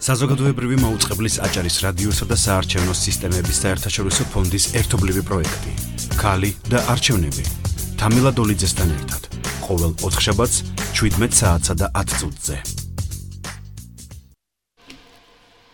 საზოგადოებრივი მაუწყებლის აჭარის რადიოსა და საარჩევნო სისტემების საერთაშორისო ფონდის ერთობლივი პროექტი. ქალი და არჩევნები. თამილა დოლიძესთან ერთად. ყოველ 4 შაბათს 17 საათსა და 10 წუთზე.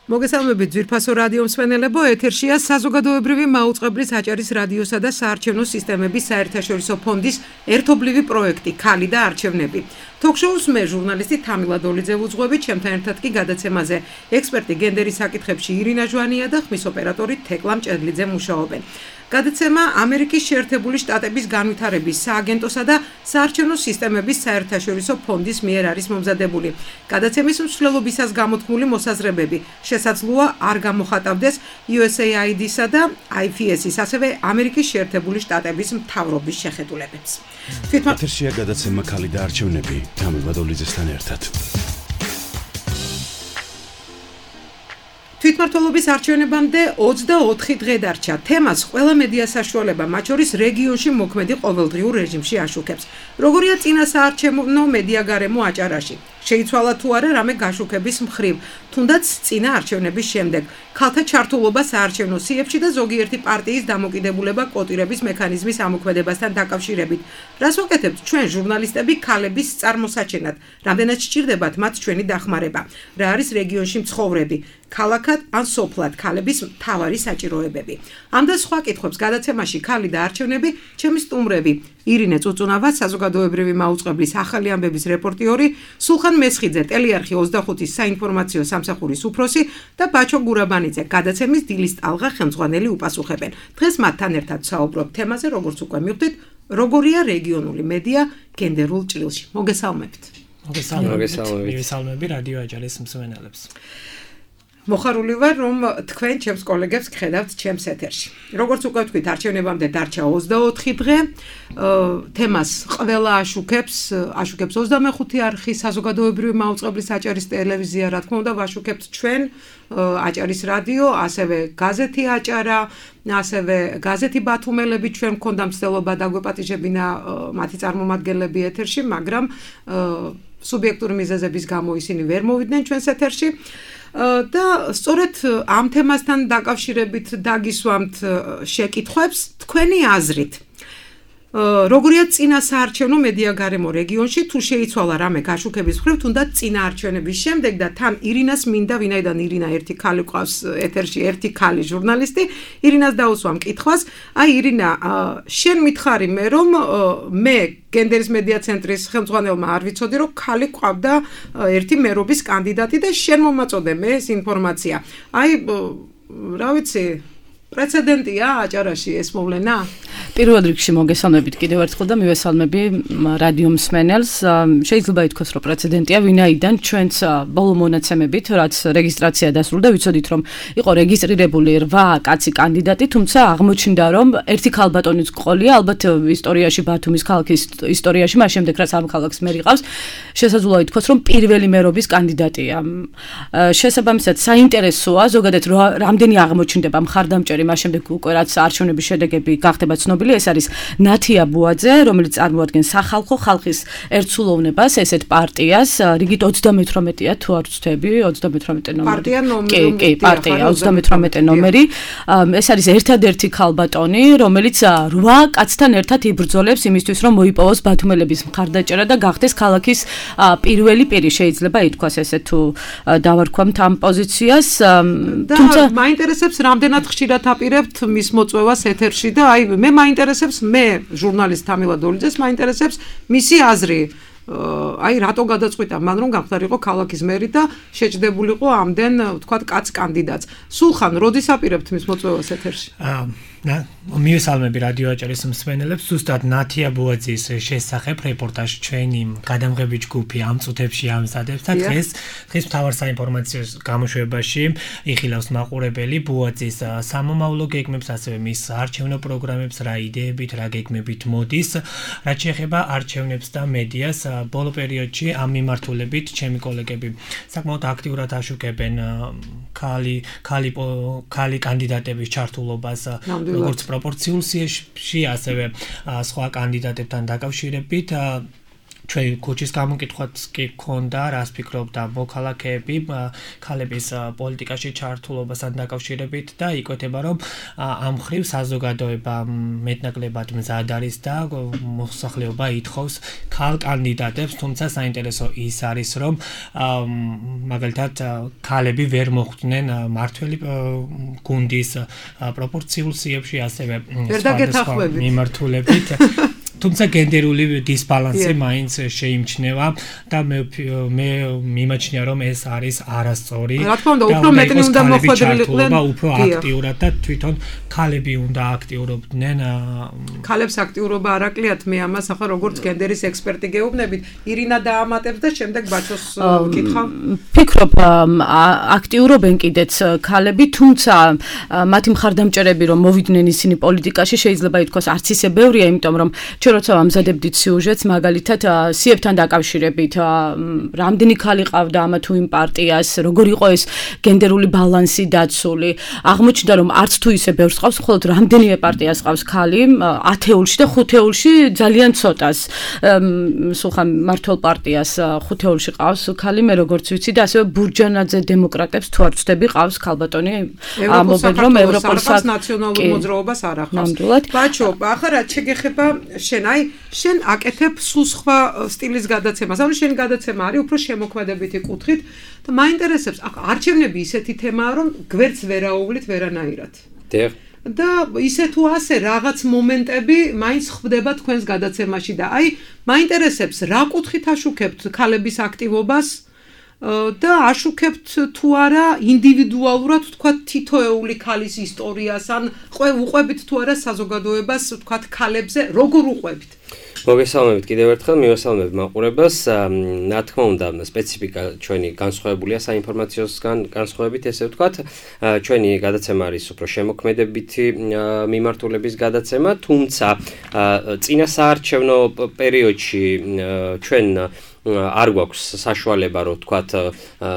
მოგესალმებით ძვირფასო რადიო მსმენელებო, ეთერშია საზოგადოებრივი მაუწყებლის აჭარის რადიოსა და საარჩევნო სისტემების საერთაშორისო ფონდის ერთობლივი პროექტი ქალი და არჩევნები. Talk-shows მე ჟურნალისტი თამილა დოლიძე ვუძღვები, ჩემთან ერთად კი გადაცემაზე ექსპერტი გენდერის საკითხებში ირინა ჟვანია და ხმის ოპერატორი თეკლა მჭედლიძე მუშაობენ. გადაცემა ამერიკის შეერთებული შტატების განვითარების სააგენტოსა და საარჩევნო სისტემების საერთაშორისო ფონდის მიერ არის მომზადებული. გადაცემის მსვლელობისას გამოთქმული მოსაზრებები შესაძლოა არ გამოხატავდეს USAID-სა და IFS-ის, ასევე ამერიკის შეერთებული შტატების მთავრობის შეხედულებებს. ეთერშია გადაცემა ქალი და არჩევნები თამილა დოლიძესთან ერთად. თვითმმართველობის არჩევნებამდე 24 დღე დარჩა. თემას ყველა მედია საშუალება, მათ შორის რეგიონში მოქმედი ყოველდღიურ რეჟიმში აშუქებს. როგორია წინა საარჩევნო მედია გარემო აჭარაში? შეიცვალა თუ არა რამე გაშუქების მხრივ, თუნდაც წინა არჩევნების შემდეგ. ქალთა ჩართულობა საარჩევნო სიებში და ზოგიერთი პარტიის დამოკიდებულება კოტირების მექანიზმის ამოქმედებასთან დაკავშირებით. რას ვაკეთებთ ჩვენ ჟურნალისტები ქალების წარმოსაჩენად? რამდენად სჭირდებათ მათ ჩვენი დახმარება? რა არის რეგიონში მცხოვრები? ქალაქად ან სოფლად ქალების მთავარი საჭიროებები. ამ და სხვა კითხვებს გადაცემაში ქალი და არჩევნები ჩემი სტუმრები ირინე წუწუნავა, საზოგადოებრივი მაუწყებლის ახალი ამბების რეპორტიორი, სულხან მესხიძე, ტელეარხი 25-ის საინფორმაციო სამსახურის უფროსი და ბაჩო გურაბანიძე, გადაცემის დილის ტალღა ხელმძღვანელი უპასუხებენ. დღეს მათთან ერთად საუბრობ თემაზე, როგორც უკვე მივხვდით, როგორია რეგიონული მედია გენდერულ ჭრილში. მოგესალმებით. მოგესალმები რადიო აჭარის მსმენელებს. მოხარული ვარ, რომ თქვენ ჩემს კოლეგებს გხედავთ ჩემს ეთერში. როგორც უკვე ვთქვით, არჩევნებამდე დარჩა 24 დღე. თემას ყველა აშუქებს 25 არხი საზოგადოებრივი მაუწყებლის აჭარის ტელევიზია, რა თქმა უნდა, ვაშუქებთ ჩვენ აჭარის რადიო, ასევე გაზეთი აჭარა, ასევე გაზეთი ბათუმელები ჩვენ მქონდა მცდელობა დაგვეპატიჟებინა მათი წარმომადგენლები ეთერში, მაგრამ სუბიექტური მიზეზების გამო ისინი ვერ მოვიდნენ ჩვენს ეთერში. და სწორედ ამ თემასთან დაკავშირებით დაგისვამთ შეკითხვებს თქვენი აზრით. როგორია წინა საარჩევნო მედია გარემო რეგიონში, თუ შეიცვალა რამე გაშუქების მხრივ, თუნდაც წინა არჩევნების შემდეგ და თან ირინას მინდა, ვინაიდან ირინა ერთი ქალი ყავს ეთერში, ერთი ქალი ჟურნალისტი, ირინას დაუსვამ კითხვას. აი ირინა, შენ მითხარი მე, რომ მე გენდერის მედია ცენტრის ხელმძღვანელმა არ ვიცოდი, რომ ქალი ყავდა ერთი მერობის კანდიდატი და შენ მომაწოდე მე ეს ინფორმაცია. აი, რა ვიცი, პრეცედენტია აჭარაში ეს მოვლენა? პირველ რიგში მოგესალმებით კიდევ ერთხელ და მივესალმები რადიო მსმენელს. შეიძლება ითქვას, რომ პრეცედენტია, ვინაიდან ჩვენც ბოლო მონაცემებით, რაც რეგისტრაცია დასრულდა, ვიცოდით, რომ იყო რეგისტრირებული 8 კაცი კანდიდატი, თუმცა აღმოჩნდა, რომ ერთი ქალბატონის ყოლია, ალბათ ისტორიაში, ბათუმის ქალაქის ისტორიაში, მას შემდეგ რაც ამ ქალაქს მე რიყავს, შესაძლოა ითქვას, რომ პირველი მერობის კანდიდატია. შესაბამისად, საინტერესოა ზოგადად რამდენი აღმოჩნდება მხარდამჭერი, მას შემდეგ უკვე რაც არჩევნების შედეგები გახდება ცნობილი, ეს არის ნათია ბუაძე, რომელიც წარმოადგენს სახალხო ხალხის ერთსულოვნებას, ესეთ პარტიას, რიგით 38-ია თუ არ ვცდები, 38 ნომერი. პარტია ნომერი. კი, პარტია 38 ნომერი. ეს არის ერთადერთი ქალბატონი, რომელიც 8 კაცთან ერთად იბრძოლებს იმისთვის, რომ მოიპოვოს ბათუმელების მხარდაჭერა და გახდეს ქალაქის პირველი პირი, შეიძლება ითქვას ესე თუ დავარქვამთ ამ პოზიციას. თუმცა მაინტერესებს რამდენად ხშირად აპირებთ მის მოწვევას ეთერში და აი მე მაინტერესებს, მე ჟურნალისტ თამილა დოლიძეს მაინტერესებს მისი აზრი. აი რატო გადაწყვიტა მან რომ გამხდარიყო ქალაქის მერი და შეჭდებულიყო ამდენ ვთქვათ კაც კანდიდატს. სულხან, როდის აპირებთ მის მოწვევას ეთერში? მივესალმები რადიო აჭარის მსმენელებს. ზუსტად ნათია ბუაძის შესახებ რეპორტაჟი ჩვენი გადამღები ჯგუფი ამ წუთებში ამზადებს და დღეს მთავარ საინფორმაციო გამოშვებაში იხილავს მაყურებელი ბუაძის სამომავლო გეგმებს, ასევე მის არჩევნო პროგრამებს, რა იდეებით, რა გეგმებით მოდის, რაც შეეხება არჩევნებს და მედიას. ბოლო პერიოდში ამ მიმართულებით ჩემი კოლეგები საკმაოდ აქტიურად აშუქებენ ქალი კანდიდატების ჩართულობას როგორც პროპორციულ სიაში, ასევე სხვა კანდიდატებთან დაკავშირებით. ჩვენ ქუჩის გამოკითხვაც კი გქონდა, რას ფიქრობდა მოქალაქეები ქალების პოლიტიკაში ჩართულობასთან დაკავშირებით და იკვეთება, რომ ამ მხრივ საზოგადოება მეტნაკლებად მზად არის და მოსახლეობა ითხოვს ქალ კანდიდატებს, თუმცა საინტერესო ის არის, რომ მაგალითად ქალები ვერ მოხვდნენ მართველი გუნდის პროპორციულ სიებში, ასევე სხვა მიმართულებით. თუმცა გენდერული დისბალანსი მაინც შეიმჩნევა და მე მიმაჩნია, რომ ეს არის არასწორი. რა თქმა უნდა, უფრო მეტი უნდა მოხვედრილიყვნენ, უფრო აქტიურად და თვითონ ქალები უნდა აქტიურობდნენ. ქალებს აქტიურობა არ აკლიათ, მე ამას ახლა როგორც გენდერის ექსპერტი გეუბნებით, ირინა დაამატებს და შემდეგ ბაჩოს ვკითხავ. ფიქრობ, აქტიურობენ კიდეც ქალები, თუმცა მათი მხარდამჭერები რომ მოვიდნენ ისინი პოლიტიკაში, შეიძლება ითქვას არც ისე ბევრია, იმიტომ რომ როცა ამზადებდით სიუჟეტს, მაგალითად, სიებთან დაკავშირებით, რამდენი ქალი ყავდა ამა თუ იმ პარტიას, როგორ იყო ეს გენდერული ბალანსი დაცული. აღმოჩნდა, რომ არც თუ ისე ბევრს ყავს, მხოლოდ რამდენიმე პარტიას ყავს ქალი, 10-ეულში და 5-ეულში ძალიან ცოტას. სულხან მართლ პარტიას 5-ეულში ყავს ქალი, მე როგორც ვიცი და ასევე ბურჯანაძე დემოკრატებს თუ არ ვცდები ყავს ქალბატონი, ამობენ რომ ევროპულს ნაციონალურ მოძრაობას არ ახავს. ბაჩო, ახლა რა შეგეხება შენ აკეთებ სულ სხვა სტილის გადაცემას. ანუ შენი გადაცემა არის უფრო შემოქმედებითი კუთხით და მაინტერესებს, არჩევნები ისეთი თემაა, რომ გვერდს ვერაუვლით ვერანაირად. და ისე თუ ასე რაღაც მომენტები მაინც ხვდება თქვენს გადაცემაში და მაინტერესებს, რა კუთხით აშუქებთ ქალების აქტივობას და აშუქებთ თუ არა ინდივიდუალურად თქვა თითოეული ქალის ისტორიას ან უყვებით თუ არა საზოგადოებას თქვა ქალებზე როგორ უყვებით? მოგესალმებით კიდევ ერთხელ, მივესალმებ მაყურებელს. რა თქმა უნდა, სპეციფიკა ჩვენი განსხვავებულია საინფორმაციო განსხვავებით, ესე ვთქვათ. ჩვენი გადაცემა არის უფრო შემოქმედებითი მიმართულების გადაცემა, თუმცა წინა საარჩევნო პერიოდში ჩვენ არ გვაქვს საშუალება, რომ ვთქვათ,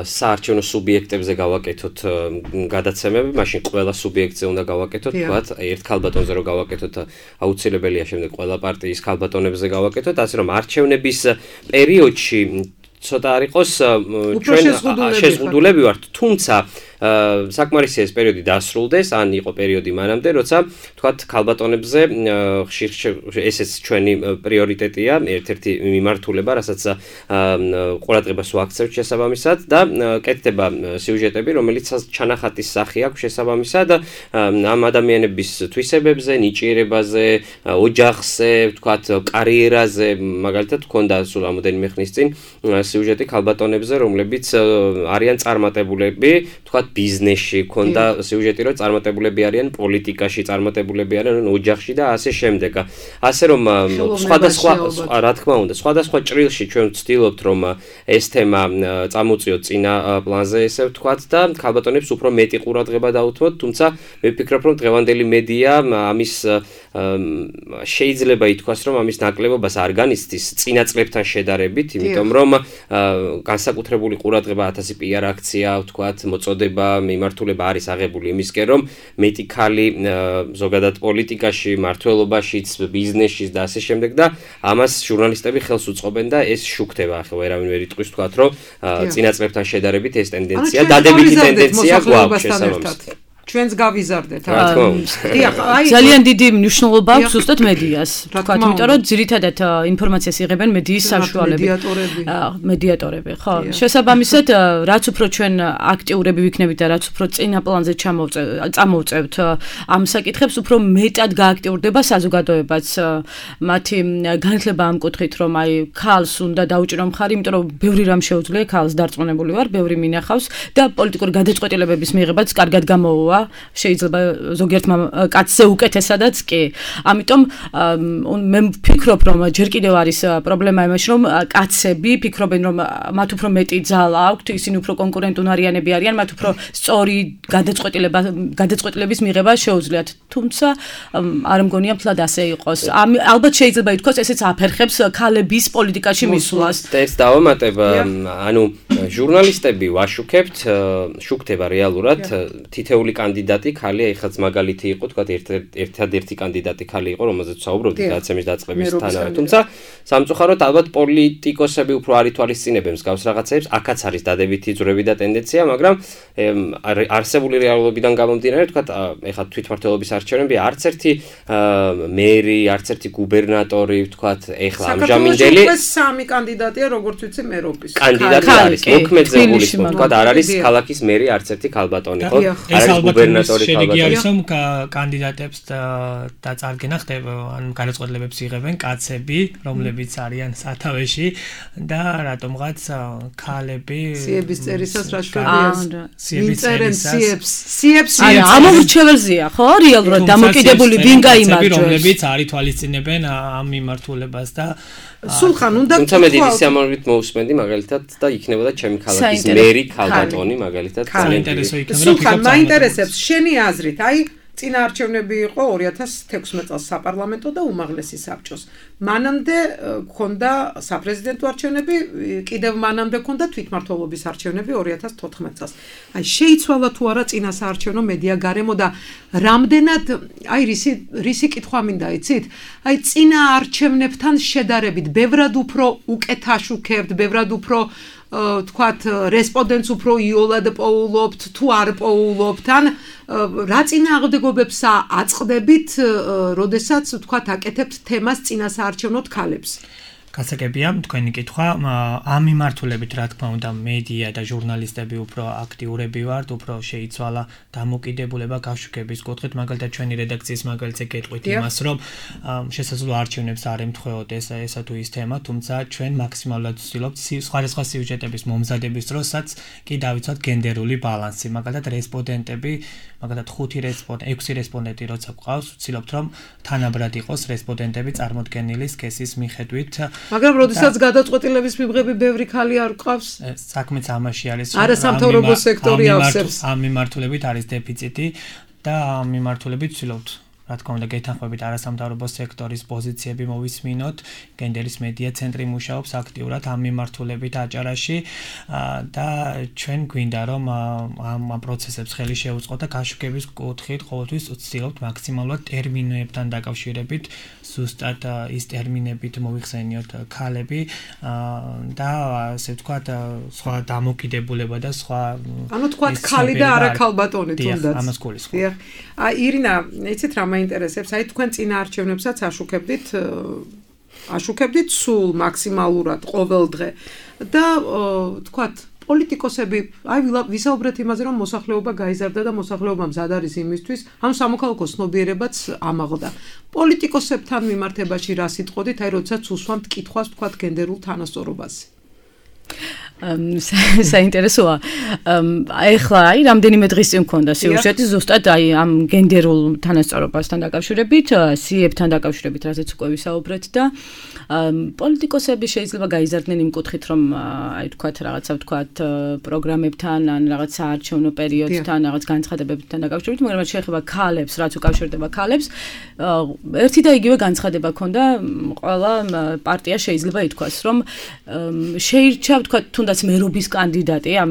საარჩევნო სუბიექტებზე გავაკეთოთ გადაცემები, მაშინ ყველა სუბიექტზე უნდა გავაკეთოთ, ვთქვათ, ერთ ქალბატონზე რომ გავაკეთოთ, აუცილებელია შემდეგ ყველა პარტიის ქალბატონებზე გავაკეთოთ, ასე რომ არჩევნების პერიოდში ცოტა არ იყოს ჩვენ შეზღუდულები ვართ, თუმცა საკმარისია ეს პერიოდი დასრულდეს, ან იყო პერიოდი მანამდე, როცა თქვათ ქალბატონებზე ხშირ ესეც ჩვენი პრიორიტეტია, ერთ-ერთი მიმართულება, რასაც ყურადღებას ვაქცევთ შესაბამისად და კეთდება სიუჟეტები, რომელიც ჩანახატის სახე აქვს შესაბამისად ამ ადამიანების თვისებებზე, ნიჭიერებაზე, ოჯახზე, თქვათ, კარიერაზე, მაგალითად გქონდა სულ რამოდენიმე ხნის წინ სიუჟეტი ქალბატონებზე, რომლებიც არიან წარმატებულები, თქვათ ბიზნესში, ქონდა სიუჟეტი, რომ წარმატებულები არიან პოლიტიკაში, წარმატებულები არიან ოჯახში და ასე შემდეგ. ასე რომ სხვადასხვა, რა თქმა უნდა, სხვადასხვა ჭრილში ჩვენ ვცდილობთ, რომ ეს თემა წამოწიოთ წინა პლანზე, ესე ვთქვათ და ქალბატონებს უფრო მეტი ყურადღება დაუთმოთ, თუმცა მე ვფიქრობ, რომ დღევანდელი მედია ამის შეიძლება ითქვას, რომ ამის ნაკლებობას არ განიცდის წინა წლებთან შედარებით, იმიტომ რომ განსაკუთრებული ყურადღება 1000 PR აქცია, ვთქვათ, მოწოდება მიმართულება არის აღებული იმისკენ, რომ მეტი ქალი ზოგადად პოლიტიკაში, მმართველობაშიც, ბიზნესშიც და ასე შემდეგ და ამას ჟურნალისტები ხელს უწყობენ და ეს შუქდება, ახლა ვერავინ ვერ იტყვის, ვთქვათ, რომ წინა წლებთან შედარებით ეს ტენდენცია, დადებითი ტენდენცია გვაქვს შესაბამისად. ჩვენს გავიზარდეთ. ძალიან დიდი მნიშვნელობა აქვს ზუსტად მედიას. ვთქვათ, იმიტომ რომ ძირითადად ინფორმაციას იღებენ მედიის საშუალებით. მედიატორები, ხო. შესაბამისად, რაც უფრო ჩვენ აქტიურები ვიქნებით და რაც უფრო წინა პლანზე წამოვწევთ ამ საკითხებს, უფრო მეტად გააქტიურდება საზოგადოებაც. მათი განათლება ამ კუთხით, რომ ქალს უნდა დაუჭირო მხარი, იმიტომ რომ ბევრი რამ შეუძლია, ქალს დარწმუნებული ვარ, ბევრი მინახავს და პოლიტიკური გადაწყვეტილებების მიღებაც კარგად გამოვა. შეიძლება ზოგიერთმა კაცზე უკეთესადაც კი. ამიტომ მე ვფიქრობ, რომ ჯერ კიდევ არის პრობლემა იმაში, რომ კაცები ფიქრობენ, რომ მათ უფრო მეტი ძალა აქვთ, ისინი უფრო კონკურენტუნარიანები არიან, მათ უფრო სწორი გადაწყვეტილების მიღება შეუძლიათ. თუმცა არ მგონია მთლად ასე იყოს. ალბათ შეიძლება ითქვას, ესეც აფერხებს ქალების პოლიტიკაში მისვლას. ეს დავამატებ, ანუ ჟურნალისტები ვაშუქებთ, შუქდება რეალურად თითეული კანდიდატი ხალია, ეხაც მაგალითი იყო, თქვა ერთადერთი კანდიდატი ხალი იყო, რომელზეც საუბრობდით გადაცემის დაწყების თანავე. თუმცა სამწუხაროდ ალბათ პოლიტიკოსები უფრო არ ითვალისწინებენ მსგავს რაღაცებს, აქაც არის დადებითი ძვრები და ტენდენცია, მაგრამ არსებული რეალობიდან გამომდინარე, თქვა ეხლა თვითმმართველობის არჩევნები არც ერთი მერი, არც ერთი გუბერნატორი, თქვა ეხლა ამჟამინდელი სამი კანდიდატია, როგორც ვიცი, მერობის. კანდიდატი არის. მოქმედზე გულისხმობ, თქვა არ არის ქალაქის მერი, არც ერთი ქალბატონი, ხო? არ არის გუბერნატორი ქალბატონი. არის რომ კანდიდატებს დაწარგენა ხდება, ან გადაწყვეტილებებს იღებენ კაცები, რომლებიც არიან სათავეში და რატომღაც ქალები სიების წერისას რა შვებია? სიებს ამომრჩეველზეა, ხო? რეალურად დამოკიდებული ვინ გაიმარჯვებს? რომლებიც არ ითვალისწინებენ ამ მიმართულებას და სულხან უნდა თუმცა მე დიდი სიამოვნებით მოусმენდი მაგალითად და იქნებოდა ჩემი ქალაქის მერი ქალბატონი მაგალითად საინტერესო იქნება. სულხან მაინტერესებს შენი აზრით, აი წინა არჩევნები იყო 2016 წელს საპარლამენტო და უმაღლესი საბჭოს. მანამდე გქონდა საპრეზიდენტო არჩევნები, კიდევ მანამდე გქონდა თვითმმართველობის არჩევნები 2014 წელს. აი შეიცვალა თუ არა წინა საარჩევნო მედია გარემო და რამდენად აი რისი კითხვა მინდა იცით? აი წინა არჩევნებთან შედარებით ბევრად უფრო უკეთ აშუქებთ, ბევრად უფრო თქვათ რესპონდენტს უფრო იოლად პოულობთ თუ არ პოულობთ ან რა წინააღმდეგობებს აწყდებით, როდესაც თქვათ აკეთებთ თემას წინა საარჩევნო ქალებს? გასაგებია თქვენი კითხვა, ამ მიმართულებით რა თქმა უნდა მედია და ჟურნალისტები უფრო აქტიურები ვართ, უფრო შეიცვალა დამოკიდებულება გაშუქების კუთხით, მაგალითად ჩვენი რედაქციის მაგალითზე გეტყვით იმას, რომ შესაძლოა არჩევნებს არ ემთხვეოთ ესა თუ ის თემა, თუმცა ჩვენ მაქსიმალურად ვცდილობთ სხვადასხვა სიუჟეტების მომზადების დროსაც კი დავიცვათ გენდერული ბალანსი, მაგალითად რესპონდენტები, მაგალითად 6 რესპონდენტი როცა გვყავს, ვცდილობთ რომ თანაბრად იყოს რესპონდენტები წარმოდგენილი სქესის მიხედვით. მაგრამ როდესაც გადაწყვეტილების მიღები ბევრი ქალი არ გვყავს? საქმეც ამაში არის. არასამთავრობო სექტორი ავსებს. ამ მიმართულებით არის დეფიციტი და ამ მიმართულებით ვცდილობთ რა თქმა უნდა გეთანხმებით არასამთავრობო სექტორის პოზიციები მოვისმინოთ, გენდერის მედია ცენტრი მუშაობს აქტიურად ამ მიმართულებით აჭარაში და ჩვენ გვინდა რომ ამ პროცესებს ხელი შეუწყოთ და გაშუქების კუთხით ყოველთვის ვცდილობთ მაქსიმალურად ტერმინებთან დაკავშირებით ზუსტად ის ტერმინებით მოვიხსენიოთ ქალები და ასე ვთქვათ სხვა დამოკიდებულება და სხვა ანუ თქვათ ქალი და არა ქალბატონი თუნდაც. ამას გულისხმობ. აი ირინა, იცით რა მაინტერესებს, აი თქვენ წინა არჩევნებსაც აშუქებდით სულ მაქსიმალურად ყოველ დღე და თქვათ პოლიტიკოსები, აი ვისაუბრეთ იმაზე, რომ მოსახლეობა გაიზარდა და მოსახლეობა მზად არის იმისთვის, ანუ სამოქალაქო ცნობიერებაც ამაღლდა. პოლიტიკოსებთან მიმართებაში რა სიტყოდით, აი როდესაც უსვამთ კითხვას თქვათ გენდერულ თანასწორობაზე? საინტერესოა. ეხლა აი რამდენიმე დღის წინ მქონდა სიუჟეტი ზუსტად აი ამ გენდერულ თანასწორობასთან დაკავშირებით, სიებთან დაკავშირებით, რასაც უკვე ვისაუბრეთ და პოლიტიკოსები შეიძლება გაიზარდნენ იმ კუთხით, რომ აი თქვათ რაღაცა თქვათ პროგრამებთან ან რაღაც საარჩევნო პერიოდთან, რაღაც განცხადებებთან დაკავშირებით, მაგრამ შეეხება ქალებს, რაც უკავშირდება ქალებს, ერთი და იგივე განცხადება ქონდა ყველა პარტია შეიძლება ითქვას, რომ შეირჩა თქვათ თუნდაც მერობის კანდიდატი, ამ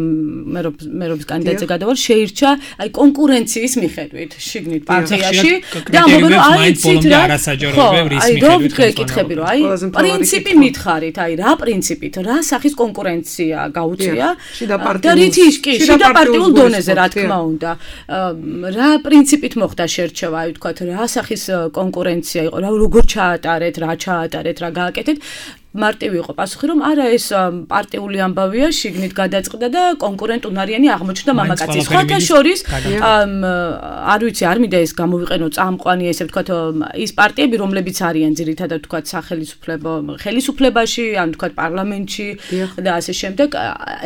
მერობის კანდიდატზე გადავალ შეირჩა აი კონკურენციის მიხედვით შიგნით პარტიაში და ამბობენ რომ აი ცით რა არასაჯაროებია რის მიხედვით გეკითხები რომ აი პრინციპი მითხარით, აი რა პრინციპით, რა სახის კონკურენცია გაუწია და რითი კი შიდა პარტიულ დონეზე რა თქმა უნდა რა პრინციპით მოხდა შერჩევა, აი ვთქვათ რა სახის კონკურენცია იყო, როგორ ჩაატარეთ, რა ჩაატარეთ, რა გააკეთეთ მარტივი იყო პასუხი, რომ არა ეს პარტიული ამბავია, შიგნით გადაწყდა და კონკურენტუნარიანი აღმოჩნდა მამაკაცი. სხვათა შორის არ ვიცი, არ მინდა ეს გამოვიყენო წამყვანი, ესე ვთქვათ, ის პარტიები, რომლებიც არიან ძირითადად ვთქვათ ხელისუფლებაში, ან ვთქვათ პარლამენტში და ასე შემდეგ,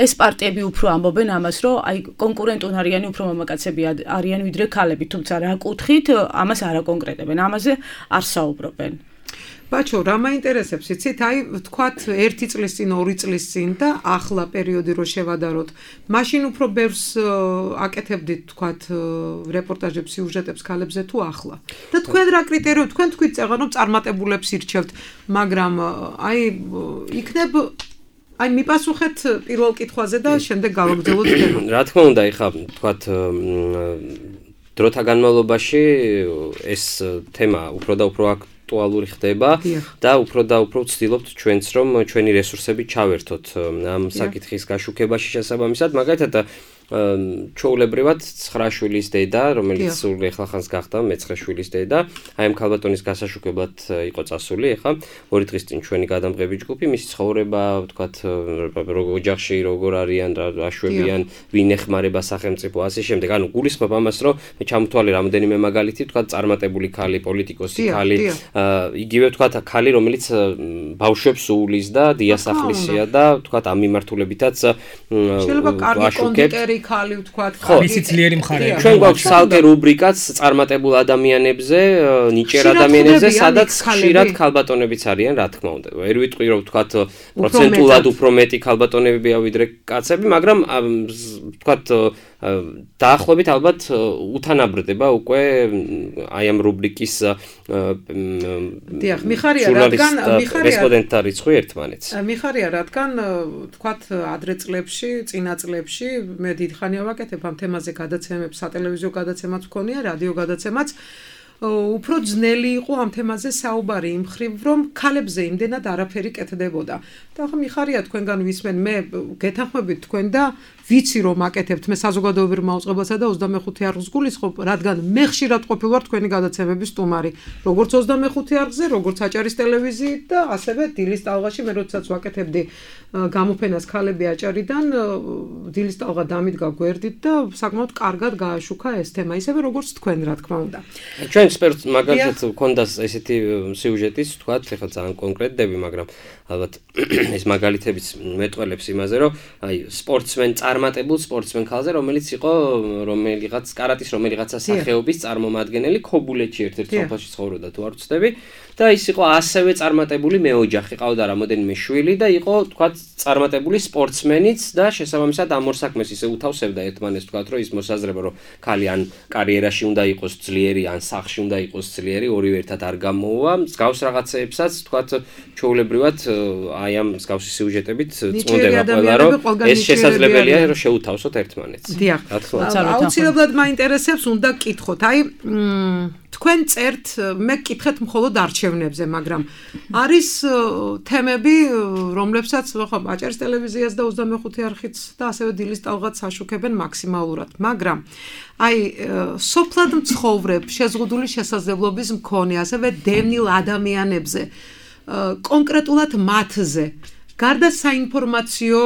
ეს პარტიები უფრო ამბობენ ამას, რომ აი კონკურენტუნარიანი უფრო მამაკაცები არიან ვიდრე ქალები, თუმცა რა კუთხით ამას არ აკონკრეტებენ, ამაზე არ საუბრობენ. ბაჩო, რა მაინტერესებს, იცით, აი ვთქვათ 1 წლის წინ, 2 წლის წინ და ახლა პერიოდი რო შევადაროთ, მაშინ უფრო ბევრს აკეთებდით, ვთქვათ, რეპორტაჟებს, სიუჟეტებს ქალებზე თუ ახლა. და თქვენ რა კრიტერიუმ, თქვენ თქვით წეღან რომ წარმატებულებს ირჩევთ, მაგრამ აი იქნებ აი მიპასუხეთ პირველ კითხვაზე და შემდეგ გავაგრძელოთ თემა. რა თქმა უნდა, ეხლა თქვათ დროთა განმავლობაში ეს თემა უფრო და უფრო აქტუალური ხდება და უფრო და უფრო ვცდილობთ ჩვენც რომ ჩვენი რესურსები ჩავერთოთ ამ საკითხის გაშუქებაში შესაბამისად, მაგალითად ჩვეულებრივად 9 შვილის დედა, რომელიც სულ ეხლახანს გახდა მე-9 შვილის დედა, აი ამ ქალბატონის გასაშუქებლად იყო წასული, ეხლა 2 დღის წინ ჩვენი გადამღები ჯგუფი, მისი ცხოვრება, ვთქვათ, ოჯახში როგორ არიან, რა შვებიან, ვინ ეხმარება სახელმწიფო, ასე შემდეგ. ანუ გულისხმობ ამას, რომ მე ჩამოთვალე რამოდენიმე მაგალითი, ვთქვათ, წარმატებული ქალი, პოლიტიკოსი ქალი, იგივე ვთქვათ, ქალი, რომელიც ბავშვებს უვლის და დიასახლისია და ვთქვათ, ამ მიმართულებითაც შეიძლება კარგი კონდიტერი ხალი ვთქვათ, მისი ძლიერი მხარეა. ჩვენ გვაქვს ცალკე რუბრიკაც წარმატებულ ადამიანებზე, ნიჭიერ ადამიანებზე, სადაც ხშირად ქალბატონებიც არიან, რა თქმა უნდა. ვერ ვიტყვი რომ ვთქვათ პროცენტულად უფრო მეტი ქალბატონებია ვიდრე კაცები, მაგრამ ვთქვათ დაახლოებით ალბათ უთანაბრდება უკვე აი ამ რუბრიკის დიახ, მიხარია რადგან რესპონდენტთა რიცხვი ერთმანეთს. მიხარია რადგან ვთქვათ ადრე წლებში, წინა წლებში მე დიდხანია ვაკეთებ ამ თემაზე გადაცემებს, სატელევიზიო გადაცემაც მქონია, რადიო გადაცემაც. უფრო ძნელი იყო ამ თემაზე საუბარი იმ ხრივ, რომ ქალებზე იმდენად არაფერი კეთდებოდა. და ახლა მიხარია თქვენგან ვისმენ, მე გეთანხმებით თქვენ და ვიცი რომ აკეთებთ მე საზოგადოებრივ მაუწყებელსა და 25 არხს გულისხმობ, რადგან მე ხშირად ყოფილ ვარ თქვენი გადაცემების სტუმარი, როგორც 25 არხზე, როგორც აჭარის ტელევიზიით და ასევე დილის ტალღაში მე როდესაც ვაკეთებდი გამოფენას ქალები აჭარიდან, დილის ტალღა დამიდგა გვერდით და საკმაოდ კარგად გააშუქა ეს თემა, ისევე როგორც თქვენ, რა თქმა უნდა. ჩვენ სპორტ მაგალითად გქონდა ესეთი სიუჟეტის, თქვათ, ეხლა ძალიან კონკრეტები, მაგრამ ალბათ ეს მაგალითებიც მეტყველებს იმაზე, რომ აი სპორტსმენ წარმატებულ სპორტსმენ ქალზე, რომელიც იყო რომელიღაც კარატის რომელიღაცა სახეობის წარმომადგენელი ქობულეთში ერთ-ერთ სოფელში ცხოვრობდა, თუ არ ვცდები, და ის იყო ასევე წარმატებული მეოჯახი, ყავდა რამოდენიმე შვილი და იყო, თქვათ, წარმატებული სპორტსმენიც და შესაბამისად ამ ორ საქმეს ისე უთავსებდა ერთმანეთს, თქვათ, რომ ის მოსაზრება, რომ ქალი ან კარიერაში უნდა იყოს ძლიერი, ან სახლში უნდა იყოს ძლიერი, ორივე ერთად არ გამოუვა. მსგავს რაღაცეებსაც, თქვათ, ჩვეულებრივად აი ამ მსგავსი სიუჟეტებით წუნდება ყველა, რომ ეს შესაძლებელია, რომ შეუთავსოთ ერთმანეთს. დიახ. აუცილებლად მაინტერესებს, უნდა გკითხოთ. აი თქვენ წერთ, მე გკითხეთ მხოლოდ არჩევნებზე, მაგრამ არის თემები, რომლებსაც ხო აჭარის ტელევიზიას და 25 არხიც და ასევე დილის ტალღაც აშუქებენ მაქსიმალურად, მაგრამ აი სოფლად მცხოვრებ, შეზღუდული შესაძლებლობის მქონე, ასევე დევნილ ადამიანებზე, კონკრეტულად მათზე, გარდა საინფორმაციო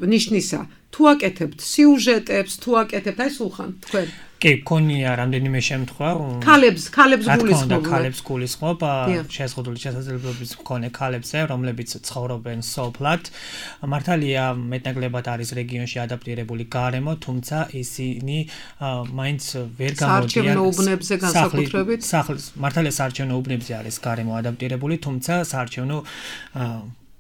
ნიშნისა, თუ აკეთებთ სიუჟეტებს, თუ აკეთებთ აი სულხან თქვენ კი, მქონია რამდენიმე შემთხვევა. ქალებს გულისხმობ. ქალებს გულისხმობ, შეზღუდული შესაძლებლობის მქონე ქალებზე, რომლებიც ცხოვრობენ სოფლად. მართალია, მეტნაკლებად არის რეგიონში ადაპტირებული გარემო, თუმცა ისინი მაინც ვერ გამოდიან საარჩევნო უბნებზე განსაკუთრებით. მართალია საარჩევნო უბნებზე არის გარემო ადაპტირებული, თუმცა საარჩევნო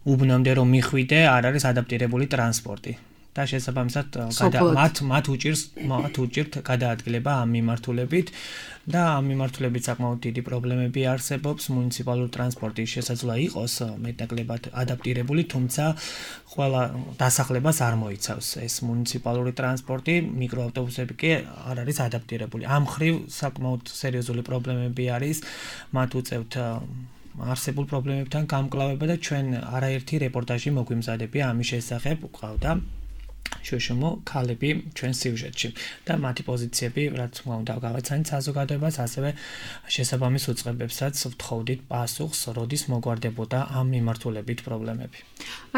უბნამდე რომ მიხვიდე, არ არის ადაპტირებული ტრანსპორტი. და შესაბამისად მათ უჭირთ გადაადგილება ამ მიმართულებით და ამ მიმართულებით საკმაოდ დიდი პრობლემები არსებობს. მუნიციპალური ტრანსპორტის შესაძლოა იყოს მეტნაკლებად ადაპტირებული, თუმცა ყველა დასახლებას არ მოიცავს ეს მუნიციპალური ტრანსპორტი, მიკროავტობუსები კი არ არის ადაპტირებული. ამ ხრივ საკმაოდ სერიოზული პრობლემები არის, მათ უწევთ არსებულ პრობლემებთან გამკლავება და ჩვენ არაერთი რეპორტაჟი მოგვიმზადებია ამის შესახებ, ყავდა შუშუმო ქალები ჩვენ სიუჟეტში და მათი პოზიციები, რაც თქმა უნდა, გავაცანით საზოგადოებას, ასევე შესაბამის უწყებებსაც ვთხოვდით პასუხს, როდის მოგვარდებოდა ამ მიმართულებით პრობლემები.